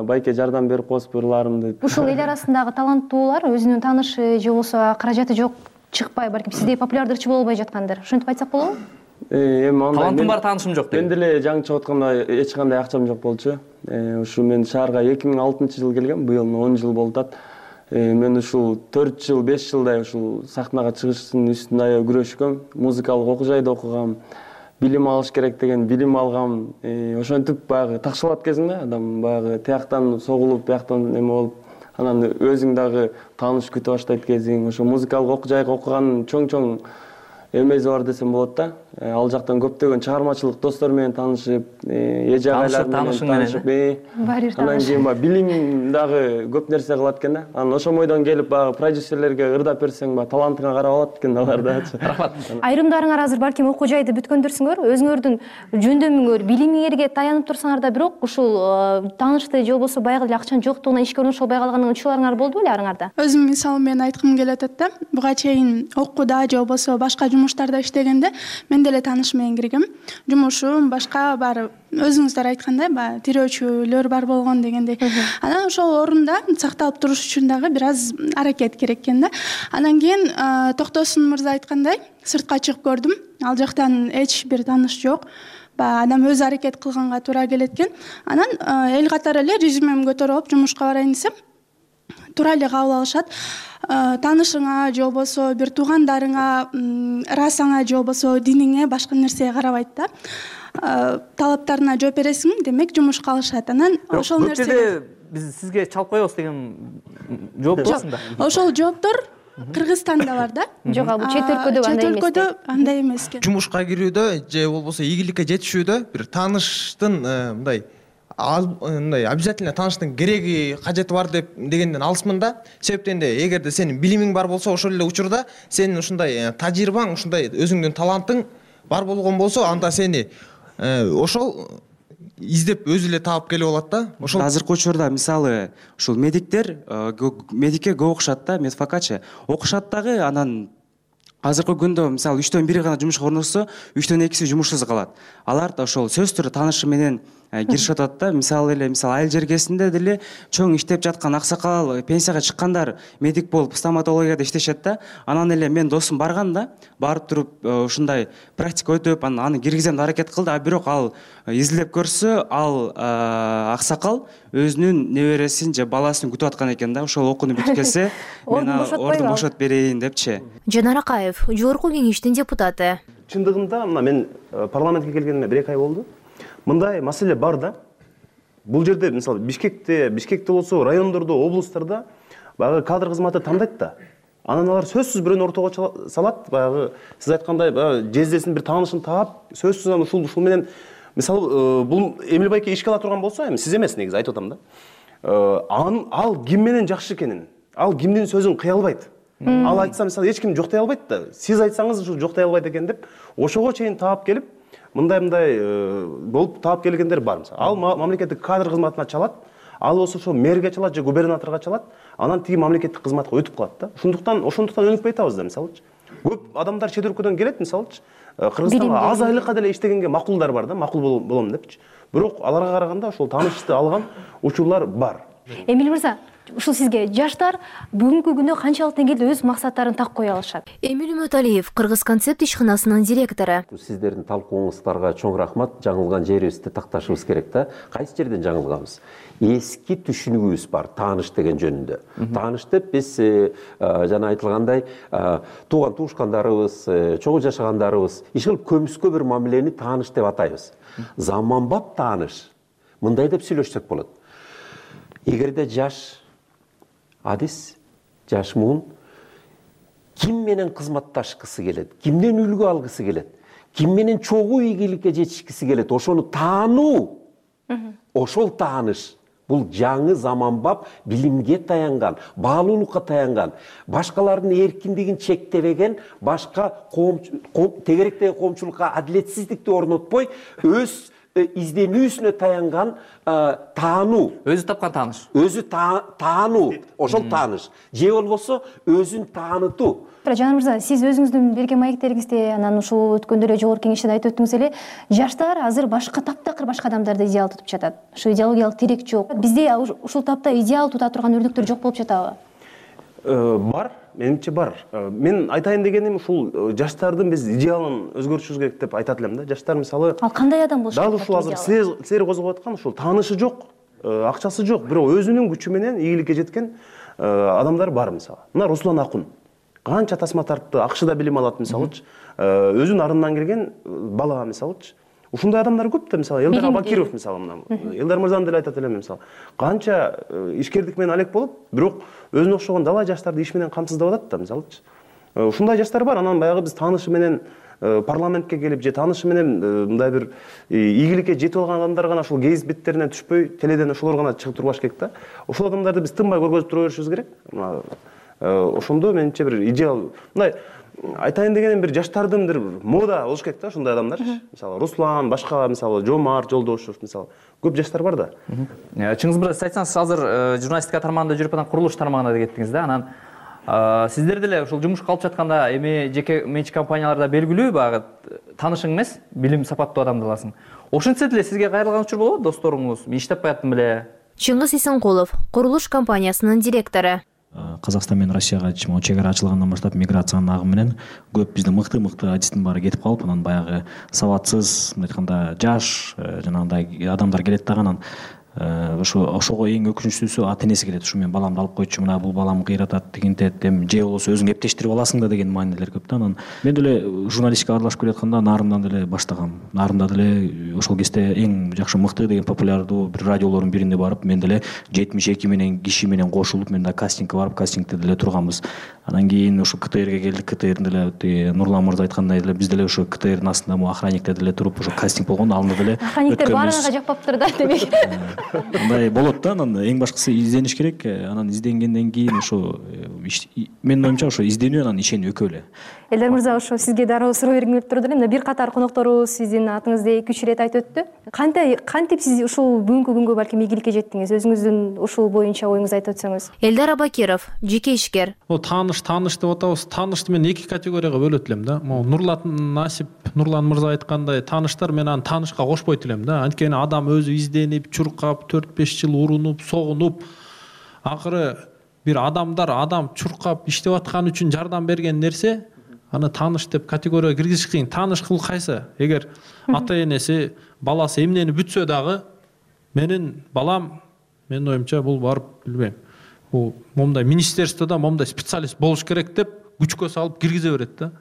Speaker 8: Байке жардам берип коесуз ырларымды.
Speaker 12: Ушул эл арасындагы таланттуулар өзүнүн таанышы же болбосо каражаты жок чыкпай, балким сиздей популярдуу ырчы болбой жаткандыр. Ошентип айтсак болобу?
Speaker 8: Эми андай
Speaker 6: талантым бар, таанышым жок деген.
Speaker 8: Мен деле жаңы чыгып атканда эч кандай акчам жок болчу. Ушу мен шаарга эки миң алтынчы жылы келгем, быйыл он жыл болуп атат. Мен ушул төрт жыл, беш жылдай ушул сахнага чыгыштын үстүндө аябай күрөшкөм. Музыкалык окуу жайда окугам, билим алыш керек деген билим алгам. Ошентип баягы такшалат кезинде адам баягы тияктан согулуп, бияктан эме болуп, анан өзүң дагы тааныш күтө баштайт кезиң. Ошо музыкалык окуу жайга окуган чоң-чоң эмеси бар десем болот да. ал жактан көптөгөн чыгармачылык достор менен таанышып, эже агайлар менен таанышып, анан кийин баягы билим дагы көп нерсе кылат экен да. Анан ошол бойдон келип баягы продюсерлерге ырдап берсең, баягы талантыңа карап алат экен алар да.
Speaker 6: Рахмат.
Speaker 12: Айрымдарыңар азыр балким окуу жайды бүткөндүрсүңөр, өзүңөрдүн жөндөмүңөр, билимиңерге таянып турсаңар да, бирок ушул таанышты же болбосо баягы эле акчанын жоктугунан ишке орношолбой калган учурларыңар болду беле арыңарда?
Speaker 4: Өзүм мисалы менен айткым келип атат да. Буга чейин окууда же болбосо башка жумуштарда иштегенде мен деле тааныш менен киргем. Жумушум башка бар, өзүңүздөр айткандай, баягы тирөөчүлөр бар болгон дегендей. Анан ошол орунда сакталып туруш үчүн дагы бир аз аракет керек экен да. Анан кийин Токтосун мырза айткандай, сыртка чыгып көрдүм. Ал жактан эч бир тааныш жок. Баягы адам өзү аракет кылганга туура келет экен. Анан эл катары эле резюмемди көтөрүп алып жумушка барайын десем, туура эле кабыл алышат. Таанышыңа же болбосо бир туугандарыңа, расаңа же болбосо диниңе, башка нерсеге карабайт да. Талаптарына жооп бересиң, демек жумушка алышат. Анан ошол нерсе
Speaker 6: биз сизге чалып коебуз деген жооп болсун да.
Speaker 4: Ошол жооптор Кыргызстанда бар да.
Speaker 12: Жок, ал чет өлкөдө андай эмес.
Speaker 4: Чет өлкөдө андай эмес экен.
Speaker 9: Жумушка кирүүдө же болбосо ийгиликке жетишүүдө бир тааныштын мындай мындай обязательно тааныштын кереги, кажети бар деп дегенден алысмын да. Себептен де эгерде сенин билимиң бар болсо, ошол эле учурда сенин ушундай тажрыйбаң, ушундай өзүңдүн талантың бар болгон болсо, анда сени ошол издеп өзү эле таап келип алат да.
Speaker 10: Ошол азыркы учурда мисалы ушул медиктер медикке көп окушат да, медфакачы окушат дагы, анан азыркы күндө мисалы үчтөн бири гана жумушка орношсо, үчтөн экиси жумушсуз калат. Алар да ошол сөз түрү таанышы менен киришип атат да. Мисалы эле мисалы айыл жергесинде деле чоң иштеп жаткан аксакал, пенсияга чыккандар медик болуп стоматологияда иштешет да. Анан эле мен досум барган да, барып туруп ушундай практика өтүп, анан аны киргизем деп аракет кылды, а бирок ал изилдеп көрсө, ал аксакал өзүнүн небересин же баласын күтүп аткан экен да. Ошол окууну бүтүп келсе, мен ордун бошотуп берейин депчи.
Speaker 11: Жанар Акаев, жогорку кеңештин депутаты.
Speaker 24: Чындыгында мына мен парламентке келгениме бир эки ай болду. Мындай маселе бар да. Бул жерде мисалы Бишкекте, Бишкекте болсо, райондордо, облустарда баягы кадр кызматы тандайт да. Анан алар сөзсүз бирөөнү ортого салат, баягы сиз айткандай баягы жездесин бир таанышын таап, сөзсүз аны ушул ушул менен мисалы бул Эмил байке ишке ала турган болсо, эми сиз эмес негизи айтып атам да. Ал ким менен жакшы экенин, ал кимдин сөзүн кыя албайт. Ал айтса мисалы эч ким жоктой албайт да. Сиз айтсаңыз ушул жоктой албайт экен деп, ошого чейин таап келип, мындай-мындай болуп таап келгендер бар. Ал мамлекеттик кадр кызматына чалат, ал болсо ошо мэрге чалат же губернаторго чалат, анан тиги мамлекеттик кызматка өтүп калат да. Ошондуктан ошондуктан өнүкпөй атабыз да, мисалычы. Көп адамдар чет өлкөдөн келет, мисалычы. Кыргызстанга аз айлыкка деле иштегенге макулдар бар да, макул болом депчи. Бирок аларга караганда ошол таанышты алган учурлар бар.
Speaker 12: Эмил мырза, ушул сизге жаштар бүгүнкү күндө канчалык деңгээлде өз максаттарын так кое алышат?
Speaker 11: Эмил Үмөталиев, Кыргыз концепт ишканасынын директору.
Speaker 23: Сиздердин талкууңуздарга чоң рахмат. Жаңылган жерибизди такташыбыз керек да. Кайсы жерден жаңылганбыз? Эски түшүнүгүбүз бар тааныш деген жөнүндө. Тааныш деп биз жана айтылгандай тууган туушкандарыбыз, чогуу жашагандарыбыз иш кылып көмүскө бир мамилени тааныш деп атайбыз. Заманбап тааныш мындай деп сүйлөшсөк болот. Эгерде жаш адис, жаш муун ким менен кызматташкысы келет, кимден үлгү алгысы келет, ким менен чогуу ийгиликке жетишкиси келет, ошону таануу, ошол тааныш. Бул жаңы заманбап билимге таянган, баалуулукка таянган, башкалардын эркиндигин чектебеген, башка тегеректеги коомчулукка адилетсиздикти орнотпой, өз изденүүсүнө таянган таануу.
Speaker 6: Өзү тапкан тааныш.
Speaker 23: Өзү таануу, ошол тааныш. Же болбосо өзүн таанытуу.
Speaker 12: Жанар мырза, сиз өзүңүздүн берген маектериңизде, анан ушул өткөндө эле жогорку кеңеште айтып өттүңүз эле, жаштар азыр башка таптакыр башка адамдарды идеал тутуп жатат. Ушу идеологиялык тирек жок. Бизде ушул тапта идеал тута турган өрнөктөр жок болуп жатабы?
Speaker 24: Бар, менимче бар. Мен айтайын дегеним ушул жаштардын биз идеалын өзгөртүшүбүз керек деп айтат элем да. Жаштар мисалы
Speaker 12: Ал кандай адам болуш керек?
Speaker 23: Дал
Speaker 24: ушул азыр силер козгоп аткан ушул таанышы жок, акчасы жок, бирок өзүнүн күчү менен ийгиликке жеткен адамдар бар мисалы. Мына Руслан Акун канча тасма тартты, акшыда билим алат мисалычы. Өзүнүн арындан келген бала мисалычы. Ушундай адамдар көп да, мисалы Элдар Абакиров мисалы мына. Элдар мырзаны деле айтат элем мисалы. Канча ишкердик менен алек болуп, бирок өзүнө окшогон далай жаштарды иш менен камсыздап атат да мисалычы. Ушундай жаштар бар. Анан баягы биз таанышы менен парламентке келип же таанышы менен мындай бир ийгиликке жетип алган адамдар гана ушул гейз беттерине түшпөй теледен ошолор гана чыгып турбаш керек да. Ошол адамдарды биз тынбай көргөзүп тура беришибиз керек. Ошондо менимче бир идеал мындай айтайын дегеним бир жаштардын бир мода болуш керек да ушундай адамдар. Мисалы Руслан, башка мисалы Жомарт Жолдошов мисалы көп жаштар бар да.
Speaker 6: Чыңгыз мырза, айтсаңыз, азыр журналистика тармагында жүрүп анан курулуш тармагына да кеттиңиз да. Анан сиздер деле ушул жумушка алып жатканда эми жеке менчик компанияларда белгилүү багы таанышың эмес, билим сапаттуу адамды аласың. Ошентсе деле сизге кайрылган учур болобу, досторуңуз, мен иштеп каяттым беле?
Speaker 11: Чыңгыз Исенкулов, курулуш компаниясынын директору.
Speaker 2: Казакстан менен Россияга чек ара ачылгандан баштап миграциянын агымы менен көп биздин мыкты-мыкты адистин баары кетип калып, анан баягы сабатсыз, мындай айтканда жаш жанагындай адамдар келет да, анан ошо ошого эң өкүнүчтүүсү ата энеси келет. Ушу мен баламды алып койчу, мына бул балам кыйратат, тигинтет, эми же болбосо өзүң эптештирип аласың да деген маанилер көп да. Анан мен деле журналистикага аралашып келатканда нарымдан деле баштагам. Нарымда деле ошол кезде эң жакшы мыкты деген популярдуу бир радиолордун бирине барып, мен деле жетимиш эки менен киши менен кошулуп, мен да кастингке барып, кастингде деле турганбыз. Анан кийин ушу КТРге келдик. КТРдин деле Нурлан мырза айткандай деле биз деле ушу КТРдин астында му охранникте деле туруп, ошо кастинг болгондо алында деле
Speaker 12: охранниктер баарыңага жакпаптыр да, демек.
Speaker 2: Мындай болот да, анан эң башкысы издениш керек. Анан изденгенден кийин ошо менин оюмча ошо изденүү анан ишенүү экөө эле.
Speaker 12: Элдар мырза, ошо сизге дароо суроо бергим келип турду эле. Мына бир катар конокторубуз сиздин атыңызды эки үч ирет айтып өттү. Кантип кантип сиз ушул бүгүнкү күнгө балким ийгиликке жеттиңиз? Өзүңүздүн ушул боюнча оюңузду айтып өтсөңүз.
Speaker 11: Элдар Абакиров, жеке ишкер.
Speaker 3: О, тааныш, тааныш деп атабыз. Таанышты мен эки категорияга бөлөт элем да. Могу Нурлан Насип, Нурлан мырза айткандай, тааныштар мен аны таанышка кошпойт элем да. Анткени адам өзү изденип, чуркап, төрт беш жыл урунуп, согунуп, акыры бир адамдар адам чуркап иштеп аткан үчүн жардам берген нерсе, аны тааныш деп категорияга киргизиш кыйын. Тааныш кыл кайсы? Эгер ата энеси, баласы эмнени бүтсө дагы, менин балам, менин оюмча бул барып билбейм. Бул момундай министерстводо момундай специалист болуш керек деп күчкө салып киргизе берет да.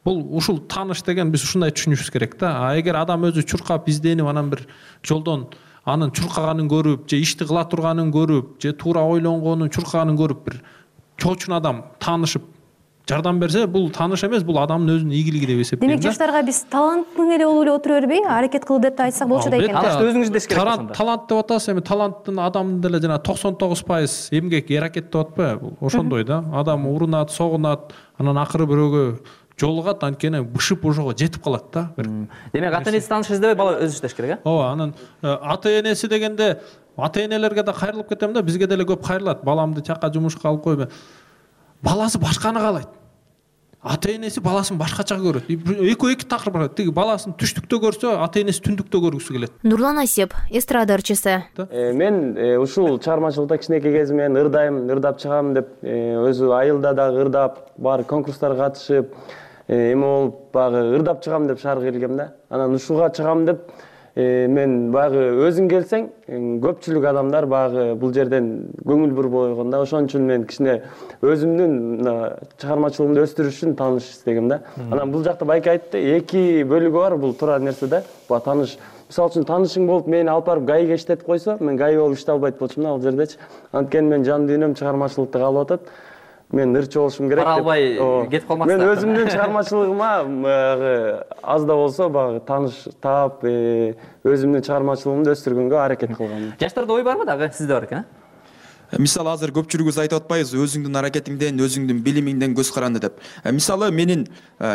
Speaker 3: Бул ушул тааныш деген биз ушундай түшүнүшүбүз керек да. А эгер адам өзү чуркап изденип, анан бир жолдон анын чуркаганын көрүп, же ишти кыла турганын көрүп, же туура ойлонгонун, чуркаганын көрүп бир чоочун адам таанышып жардам берсе, бул тааныш эмес, бул адамдын өзүнүн ийгилиги деп эсептейм да.
Speaker 12: Демек жаштарга биз таланттың эле болуп эле отура бербей, аракет кыл деп айтсак болчу да экен.
Speaker 6: Таанышты өзүңүз деш керек
Speaker 3: ошондо. Талант деп атасыз, эми таланттын адамдын деле жана токсон тогуз пайыз эмгек, аракет деп атпайбы? Ошондой да. Адам урунат, согунат, анан акыры бирөөгө жолугат, анткени бышып ошого жетип калат да.
Speaker 6: Демек ата энеси тааныш издебей бала өзү иштеш керек, э?
Speaker 3: Ооба, анан ата энеси дегенде ата энелерге да кайрылып кетем да, бизге деле көп кайрылат. Баламды чакка жумушка алып койбой. Баласы башканы каалайт. Ата энеси баласын башкача көрөт. Экөө эки такыр бар. Тиги баласын түштүктө көрсө, ата энеси түндүктө көргүсү келет.
Speaker 11: Нурлан Асип, эстрада ырчысы.
Speaker 8: Мен ушул чыгармачылыкта кичинекей кезимден ырдайм, ырдап чыгам деп, өзү айылда дагы ырдап, баары конкурстарга катышып, эме болуп баягы ырдап чыгам деп шаарга келгем да. Анан ушуга чыгам деп мен баягы өзүң келсең, көпчүлүк адамдар баягы бул жерден көңүл буруп койгон да. Ошон үчүн мен кичине өзүмдүн чыгармачылыгымды өстүрүш үчүн тааныш издегем да. Анан бул жакта байке айтты, эки бөлүгү бар бул туура нерсе да. Бул тааныш, мисалы үчүн таанышың болуп мени алып барып ГАИге иштетип койсо, мен ГАИ болуп иштей албайт болчумун ал жердечи. Анткени мен жан дүйнөм чыгармачылыкта калып атат. Мен ырчы болушум керек деп.
Speaker 6: Бара албай кетип калмаксыздар.
Speaker 8: Мен өзүмдүн чыгармачылыгыма аз да болсо баягы тааныш таап, өзүмдүн чыгармачылыгымды өстүргөнгө аракет кылгам.
Speaker 6: Жаштарда ой барбы дагы? Сизде бар экен,
Speaker 13: э? Мисалы азыр көпчүлүгүбүз айтып атпайбызбы, өзүңдүн аракетиңден, өзүңдүн билимиңден көз каранды деп. Мисалы менин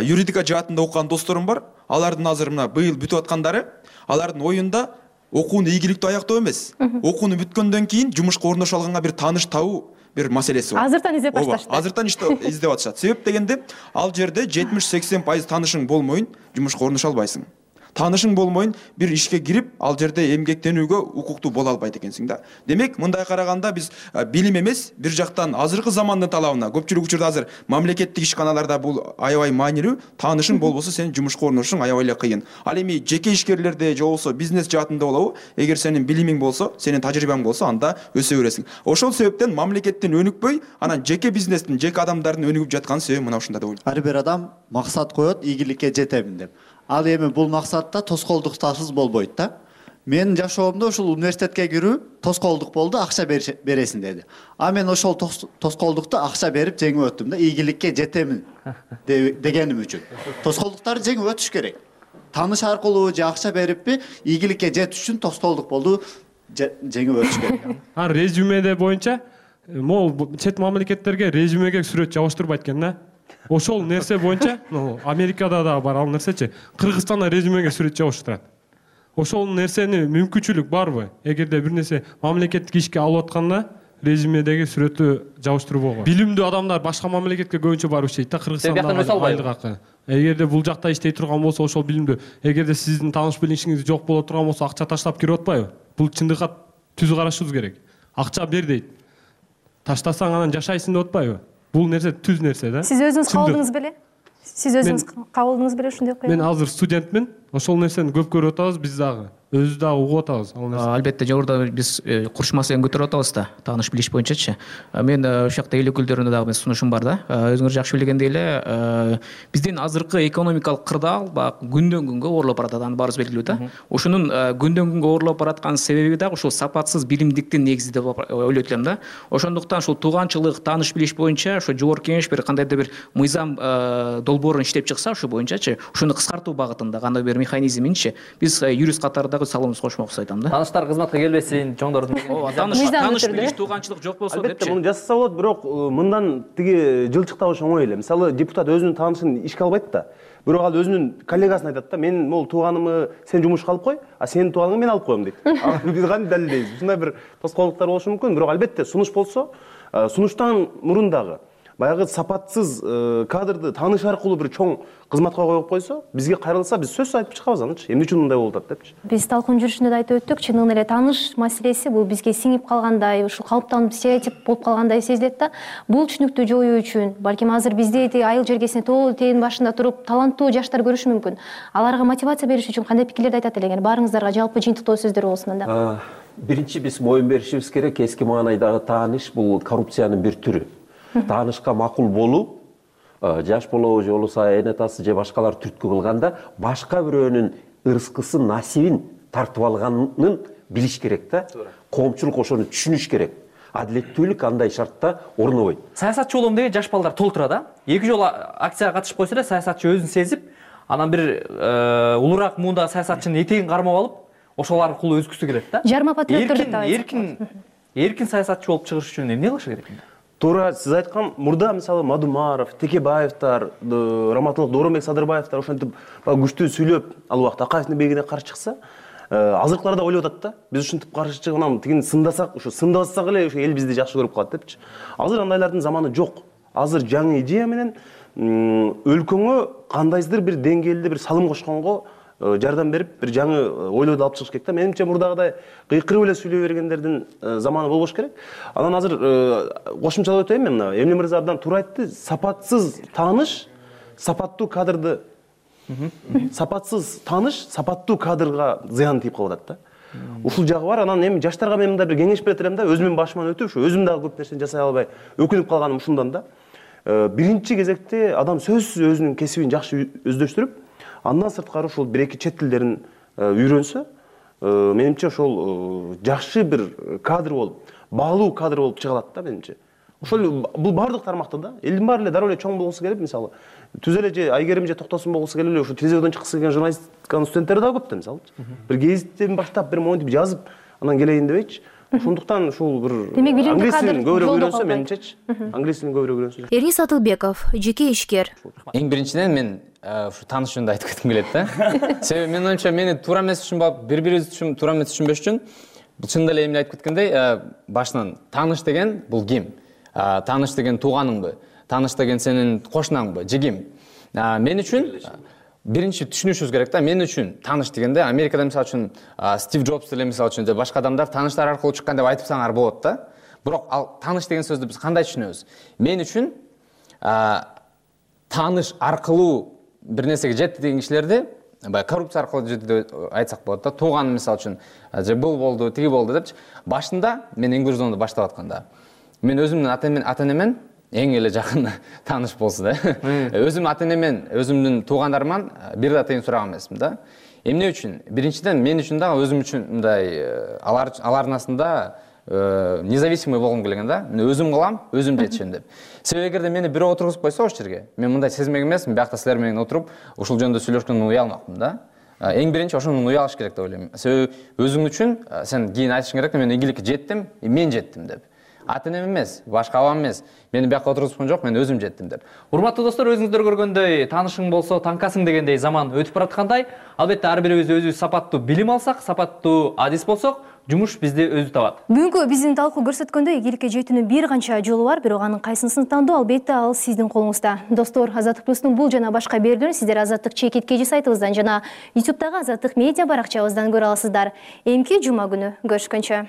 Speaker 13: юридика жаатында окуган досторум бар. Алардын азыр мына быйыл бүтүп аткандары, алардын оюнда окууну ийгиликтүү аяктоо эмес. Окууну бүткөндөн кийин жумушка орношо алганга бир тааныш табуу бир маселеси бар.
Speaker 12: Азыртан издеп башташты.
Speaker 13: Азыртан издеп атышат. Себеп дегенде, ал жерде жетимиш сексен пайыз таанышың болмойн жумушка орношо албайсың. Таанышың болмойн бир ишке кирип, ал жерде эмгектенүүгө укуктуу боло албайт экенсиң да. Демек, мындай караганда биз билим эмес, бир жактан азыркы замандын талабына, көпчүлүк учурда азыр мамлекеттик ишканаларда бул аябай маанилүү, таанышың болбосо сен жумушка орношуң аябай эле кыйын. Ал эми жеке ишкерлерде же болбосо бизнес жаатында болобу, эгер сенин билимиң болсо, сенин тажрыйбаң болсо, анда өсө бересиң. Ошол себептен мамлекеттин өнүкпөй, анан жеке бизнестин, жеке адамдардын өнүгүп жаткан себеби мына ушунда деп ойлойм.
Speaker 16: Ар бир адам максат коет, ийгиликке жетемин деп. Ал эми бул максатта тоскоолдуктарсыз болбойт да.
Speaker 15: Менин жашоомдо ушул университетке кирүү тоскоолдук болду, акча бересиң деди. А мен ошол тоскоолдукту акча берип жеңип өттүм да, ийгиликке жетемин дегеним үчүн. Тоскоолдуктарды жеңип өтүш керек. Тааныш аркылуу же акча бериппи, ийгиликке жетиш үчүн тоскоолдук болду, жеңип өтүш керек.
Speaker 16: А резюмеде боюнча могу чет мамлекеттерге резюмеге сүрөт жабыштырбайт экен да. Ошол нерсе боюнча, Америкада да бар ал нерсечи, Кыргызстанда резюмеге сүрөт жабыштырат. Ошол нерсени мүмкүнчүлүк барбы? Эгерде бир нерсе мамлекеттик ишке алып атканда резюмедеги сүрөттү жабыштырбого. Билимдүү адамдар башка мамлекетке көбүнчө барып иштейт да, Кыргызстанда айлык акы. Эгерде бул жакта иштей турган болсо, ошол билимдүү, эгерде сиздин тааныш билишиңиз жок боло турган болсо, акча таштап кирип атпайбы? Бул чындыкка түз карашыбыз керек. Акча бер дейт. Таштасаң анан жашайсың деп атпайбы? Бул нерсе түз нерсе да.
Speaker 12: Сиз өзүңүз кабылдыңыз беле? Сиз өзүңүз кабылдыңыз беле ушундай окуя?
Speaker 16: Мен азыр студентмин. Ошол нерсени көп көрүп атабыз биз дагы. Өзүбүз дагы угуп атабыз ал нерсени.
Speaker 17: Албетте жогоруда биз курч маселени көтөрүп атабыз да, тааныш билиш боюнчачы. Мен ошол жакта эл өкүлдөрүнө дагы сунушум бар да. Өзүңөр жакшы билгендей эле, биздин азыркы экономикалык кырдаал баягы күндөн күнгө оорлоп баратат, аны баарыбыз белгилүү да. Ошонун күндөн күнгө оорлоп бараткан себеби дагы ушул сапатсыз билимдиктин негизи деп ойлойт элем да. Ошондуктан ушул тууганчылык, тааныш билиш боюнча ошо жогорку кеңеш бир кандайдыр бир мыйзам долбоорун иштеп чыкса ушул боюнчачы, ушуну кыскартуу багытында кандай бир механизминчи биз юрист катарындагы салымыбызды кошмокчу айтам да.
Speaker 6: Тааныштар кызматка келбесин, чоңдордун.
Speaker 17: Тааныш тааныш билиш, тууганчылык жок болсо депчи.
Speaker 24: Албетте муну жасаса болот, бирок мындан тиги жылчыктабыш оңой эле. Мисалы депутат өзүнүн таанышын ишке албайт да. Бирок ал өзүнүн коллегасына айтат да, мен могул тууганымы сен жумушка алып кой, а сенин тууганыңды мен алып коем дейт. Биз кантип далилдейбиз? Ушундай бир тоскоолдуктар болушу мүмкүн, бирок албетте сунуш болсо, сунуштан мурун дагы баягы сапатсыз кадрды тааныш аркылуу бир чоң кызматка коюп койсо, бизге кайрылса биз сөзсүз айтып чыгабыз анычы. Эмне үчүн мындай болуп атат депчи.
Speaker 12: Биз талкуун жүрүшүндө да айтып өттүк, чындыгында эле тааныш маселеси бул бизге сиңип калгандай, ушул калыптанып стереотип болуп калгандай сезилет да. Бул түшүнүктү жоюу үчүн, балким азыр бизде айыл жергесине тоо тээдин башында туруп таланттуу жаштар көрүшү мүмкүн. Аларга мотивация бериш үчүн кандай пикирлерди айтат элең? Баарыңыздарга жалпы жыйынтыктоо сөздөр болсун анда.
Speaker 23: Биринчи биз моюн беришибиз керек, эски маанайдагы тааныш бул коррупциянын бир түрү. Таанышка макул болуп, жаш болобу же болбосо эне атасы же башкалар түрткү кылганда башка бирөөнүн ырыскысын, насибин тартып алганын билиш керек да. Коомчулук ошону түшүнүш керек. Адилеттүүлүк андай шартта орнобойт.
Speaker 6: Саясатчы болом деген жаш балдар толтура да. Эки жолу акцияга катышып койсо да, саясатчы өзүн сезип, анан бир улураак муундагы саясатчынын этегин кармап алып, ошол аркылуу өзгүсү келет да.
Speaker 12: Жарма патриоттор деп атат.
Speaker 6: Эркин, эркин саясатчы болуп чыгыш үчүн эмне кылыш керек?
Speaker 24: Туура сиз айткан мурда мисалы Мадумаров, Текебаевдер, Раматылык Дооронбек Садырбаевдер ошентип күчтүү сүйлөп ал убакта Акаевдин бегине каршы чыкса, азыркылар да ойлоп атат да. Биз ушинтип каршы чыгып анан тигини сындасак, ушу сындабасак эле ушу эл бизди жакшы көрүп калат депчи. Азыр андайлардын заманы жок. Азыр жаңы идея менен өлкөңө кандайдыр бир деңгээлде бир салым кошконго жардам берип, бир жаңы ойлойду алып чыгыш керек да. Менимче мурдагыдай кыйкырып эле сүйлөй бергендердин заманы болбош керек. Анан азыр кошумчалап өтөйүн мен мына. Эмне мырза абдан туура айтты. Сапатсыз тааныш сапаттуу кадрды сапатсыз тааныш сапаттуу кадрга зыян тийип калып атат да. Ушул жагы бар. Анан эми жаштарга мен мындай бир кеңеш берет элем да, өзүмдүн башыман өтүп, ушу өзүм дагы көп нерсени жасай албай өкүнүп калганым ушундан да. Биринчи кезекте адам сөзсүз өзүнүн кесибин жакшы өздөштүрүп, андан сырткары ушул бир эки чет тилдерин үйрөнсө, менимче ошол жакшы бир кадр болуп, баалуу кадр болуп чыга алат да менимче. Ошол бул баардык тармакта да. Элдин баары эле дароо эле чоң болгусу келип, мисалы, түз эле же Айгерим же Токтосун болгусу келип эле ошо телевизордон чыккысы келген журналистканын студенттери дагы көп да, мисалы. Бир гезиттен баштап бир монтип жазып, анан келейин дебейчи. Ошондуктан ушул бир англис тилин көбүрөөк үйрөнсө менимчечи. Англис тилин көбүрөөк үйрөнсө.
Speaker 11: Эрнис Атылбеков, жеке ишкер.
Speaker 7: Эң биринчиден мен ушу тааныш жөнүндө айтып кетким келет да. Себеби менин оюмча мени туура эмес түшүнүп, бири-бирибизди түшүн туура эмес түшүнбөш үчүн бул чындап эле эмне айтып кеткендей, башынан тааныш деген бул ким? Тааныш деген тууганыңбы? Тааныш деген сенин кошунаңбы? Же ким? Мен үчүн биринчи түшүнүшүбүз керек да. Мен үчүн тааныш дегенде Америкада мисалы үчүн Стив Джобс эле мисалы үчүн же башка адамдар тааныштар аркылуу чыккан деп айтып саңар болот да. Бирок ал тааныш деген сөздү биз кандай түшүнөбүз? Мен үчүн тааныш аркылуу бир нерсеге жетти деген кишилерди баягы коррупция аркылуу жетти деп айтсак болот да. Тууган мисалы үчүн же бул болду, тиги болду депчи. Башында мен Энгурзондо баштап атканда мен өзүмдүн ата-энемен эң эле жакын тааныш болсу да. Өзүм ата-энемен, өзүмдүн туугандарыман бир да тыйын сураган эмесмин да. эмне үчүн? Биринчиден мен үчүн дагы өзүм үчүн мындай алар алардын астында независимый болгум келген да. Мен өзүм кылам, өзүм жетишем деп. Себеби эгерде мени бирөө отургузуп койсо ошол жерге, мен мындай сезмек эмесмин, биякта силер менен отуруп ушул жөнүндө сүйлөшкөндөн уялмакмын да. Эң биринчи ошондон уялыш керек деп ойлойм. Себеби өзүң үчүн сен кийин айтышың керек, мен ийгиликке жеттим, мен жеттим деп. Ата-энем эмес, башка абам эмес. Мени бияка отургузупкан жок, мен өзүм жеттим деп.
Speaker 6: Урматтуу достор, өзүңүздөр көргөндөй таанышың болсо таңкасың дегендей заман өтүп бараткандай. Албетте ар бирибиз өзүбүз сапаттуу билим алсак, сапаттуу адис болсок, жумуш бизди өзү табат.
Speaker 12: Бүгүнкү биздин талкуу көрсөткөндөй ийгиликке жетүүнүн бир канча жолу бар, бирок анын кайсысын тандоо албетте ал сиздин колуңузда. Достор, Азаттык плюстун бул жана башка берүүлөрүн сиздер Азаттык чекит кежи сайтыбыздан жана ютубтагы Азаттык медиа баракчабыздан көрө аласыздар. Эмки жума күнү көрүшкөнчө.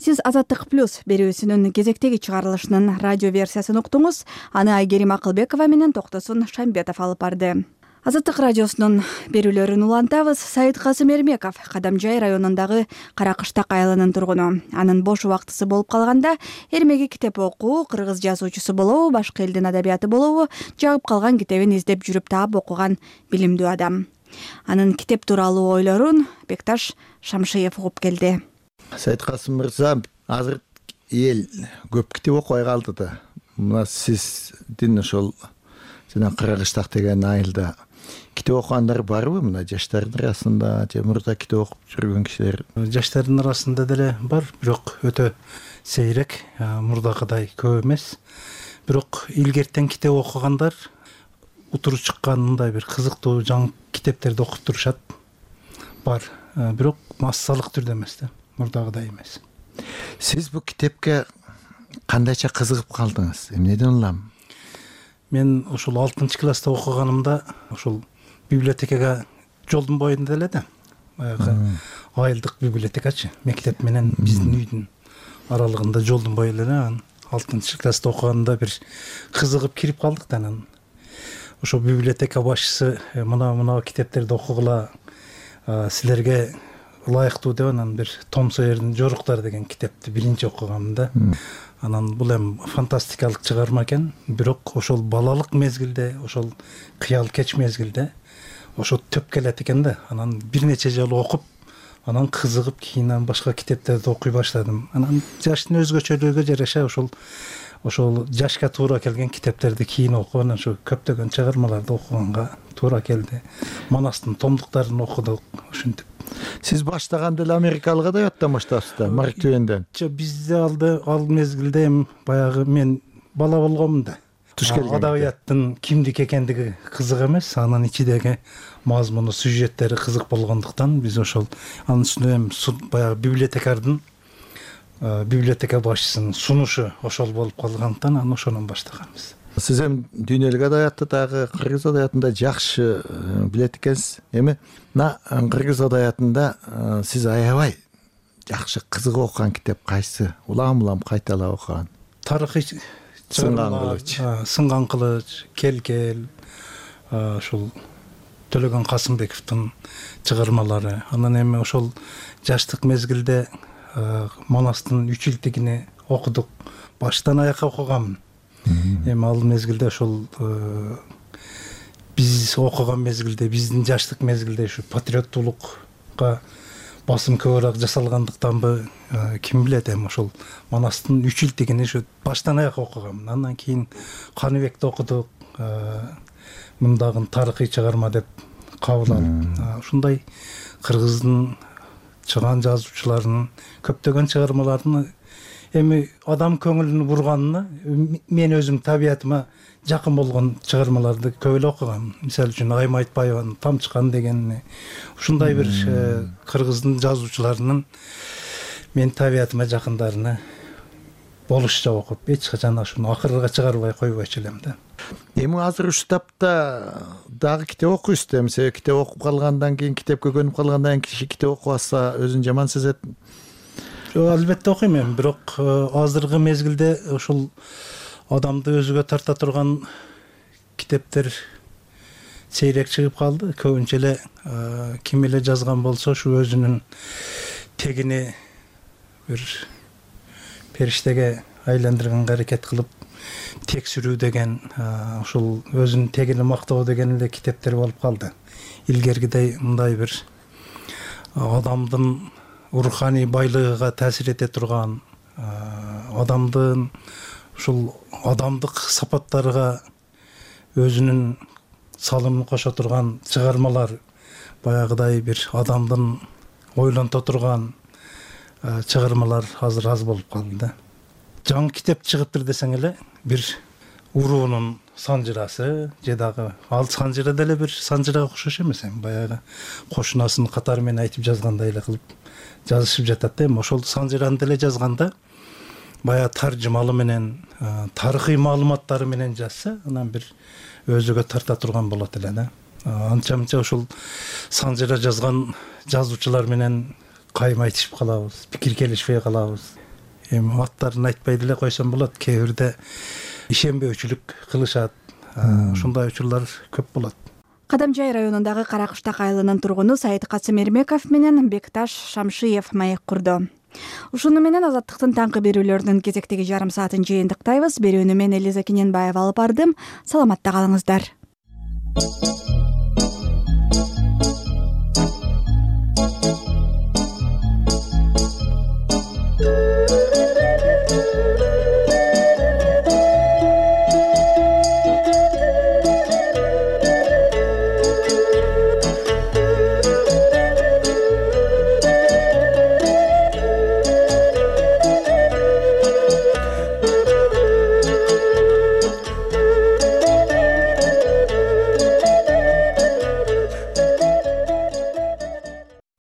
Speaker 14: Сиз Азаттык плюс берүүсүнүн кезектеги чыгарылышынын радио версиясын уктуңуз. Аны Айгерим Акылбекова менен Токтосун Шамбетов алып барды. Азаттык радиосунун берүүлөрүн улантабыз. Саид Касым Эрмеков Кадамжай районундагы Каракыштак айылынын тургуну. Анын бош убактысы болуп калганда эрмеги китеп окуу, кыргыз жазуучусу болобу, башка элдин адабияты болобу, жагып калган китебин издеп жүрүп таап окуган билимдүү адам. Анын китеп тууралуу ойлорун Бекташ Шамшиев угуп келди.
Speaker 18: Саид Касым мырза, азыр эл көп китеп окубай калды да. Мына сиздин ошол жана Каракыштак деген айылда китеп окугандар барбы? Мына жаштардын арасында же мурда китеп окуп жүргөн кишилер?
Speaker 20: Жаштардын арасында деле бар, бирок өтө сейрек, мурдагыдай көп эмес. Бирок илгертен китеп окугандар утуру чыккан мындай бир кызыктуу жаңы китептерди окуп турушат. Бар, бирок массалык түрдө эмес да, мурдагыдай эмес.
Speaker 18: Сиз бул китепке кандайча кызыгып калдыңыз? Эмнеден улам?
Speaker 20: Мен ошол алтынчы класста окуганымда ошол библиотекага жолдун боюнда эле да. Баягы айылдык библиотекачы, мектеп менен биздин үйдүн аралыгында жолдун бою эле. алтынчы класста окуганда бир кызыгып кирип калдык да. Анан ошол библиотека башчысы мына мына китептерди окугула, силерге ылайыктуу деп анан бир Том Сойердин Жоруктар деген китепти биринчи окугам да. Анан бул эми фантастикалык чыгарма экен, бирок ошол балалык мезгилде, ошол кыял кеч мезгилде ошо төп келет экен да. Анан бир нече жолу окуп, анан кызыгып кийин башка китептерди окуй баштадым. Анан жаштын өзгөчөлүгүгө жараша ошол ошол жашка туура келген китептерди кийин окуп, анан ошо көптөгөн чыгармаларды окуганга туура келди. Манастын томдуктарын окудук, ушинтип.
Speaker 18: Сиз баштаганда эле америкалык адабияттан баштапсыз да, Марк Твенден?
Speaker 20: Бизде алды ал мезгилде эми баягы мен бала болгомун да.
Speaker 18: Туш келген.
Speaker 20: Адабияттын кимдик экендиги кызык эмес, анын ичидеги мазмуну, сюжеттери кызык болгондуктан биз ошол анын үстүнө эми баягы библиотекардын библиотека башчысынын сунушу ошол болуп калгандыктан анан ошондон баштаганбыз.
Speaker 18: Сиз эми дүйнөлүк адабиятты дагы кыргыз адабиятында жакшы билет экенсиз. Эми мына кыргыз адабиятында сиз аябай жакшы кызыгып окуган китеп кайсы? Улам-улам кайталап окуган?
Speaker 20: Тарыхый
Speaker 18: Сынган кылыч.
Speaker 20: Сынган кылыч, Кел-кел, ошол Төлөгөн Касымбековдун чыгармалары. Анан эми ошол жаштык мезгилде Манастын үч илтигини окудук. Баштан аякка окугам. Эми ал мезгилде ошол биз окуган мезгилде, биздин жаштык мезгилде ушу патриоттуулукка басым көбүрөөк жасалгандыктанбы, ким билет, эми ошол Манастын үч илтигини ушу баштан аякка окугам. Андан кийин Каныбекти окудук, мындагы тарыхый чыгарма деп кабыл алып, ушундай кыргыздын чыган жазуучуларынын көптөгөн чыгармаларын эми адам көңүлүн бурганына мен өзүм табиятыма жакын болгон чыгармаларды көп эле окугам. Мисалы үчүн Айым Айтбаеванын Тамчыкан дегени, ушундай бир кыргыздын жазуучуларынын мен табиятыма жакындарына болушча окуп, эч качан ошону акырга чыгарбай койбойчу элем да.
Speaker 18: Эми азыр ушул тапта дагы китеп окуйсуз да, себеби китеп окуп калгандан кийин, китепке көнүп калгандан кийин киши китеп окубаса өзүн жаман сезет.
Speaker 20: Албетте окуйм эми, бирок азыркы мезгилде ошол адамды өзүгө тарта турган китептер сейрек чыгып калды. Көбүнчө эле ким эле жазган болсо ушу өзүнүн тегини бир периштеге айландырганга аракет кылып текшерүү деген ушул өзүнүн тегин мактоо деген эле китептер болуп калды. Илгергидей мындай бир адамдын руханий байлыгыга таасир эте турган, адамдын ушул адамдык сапаттарга өзүнүн салымын кошо турган чыгармалар, баягыдай бир адамдын ойлонто турган чыгармалар азыр аз болуп калды да. Жаңы китеп чыгыптыр десең эле, бир уруунун санжырасы же дагы ал санжыра деле бир санжырага окшош эмес, эми баягы кошунасын катары менен айтып жазгандай эле кылып жазышып жатат да. Эми ошол санжыраны деле жазганда баягы таржымалы менен, тарыхый маалыматтары менен жазса, анан бир өзүгө тарта турган болот эле да. Анча мынча ушул санжыра жазган жазуучулар менен кайым айтышып калабыз, пикир келишпей калабыз. Эми аттарын айтпай деле койсом болот. Кээ бирде ишенбөөчүлүк кылышат. Ушундай учурлар көп болот.
Speaker 14: Кадамжай районундагы Каракыштак айылынын тургуну Сайыт Касым Эрмеков менен Бекташ Шамшиев маек курду. Ушуну менен Азаттыктын таңкы берүүлөрүнүн кезектеги жарым саатын жыйынтыктайбыз. Берүүнү мен Элиза Кененбаева алып бардым. Саламатта калыңыздар.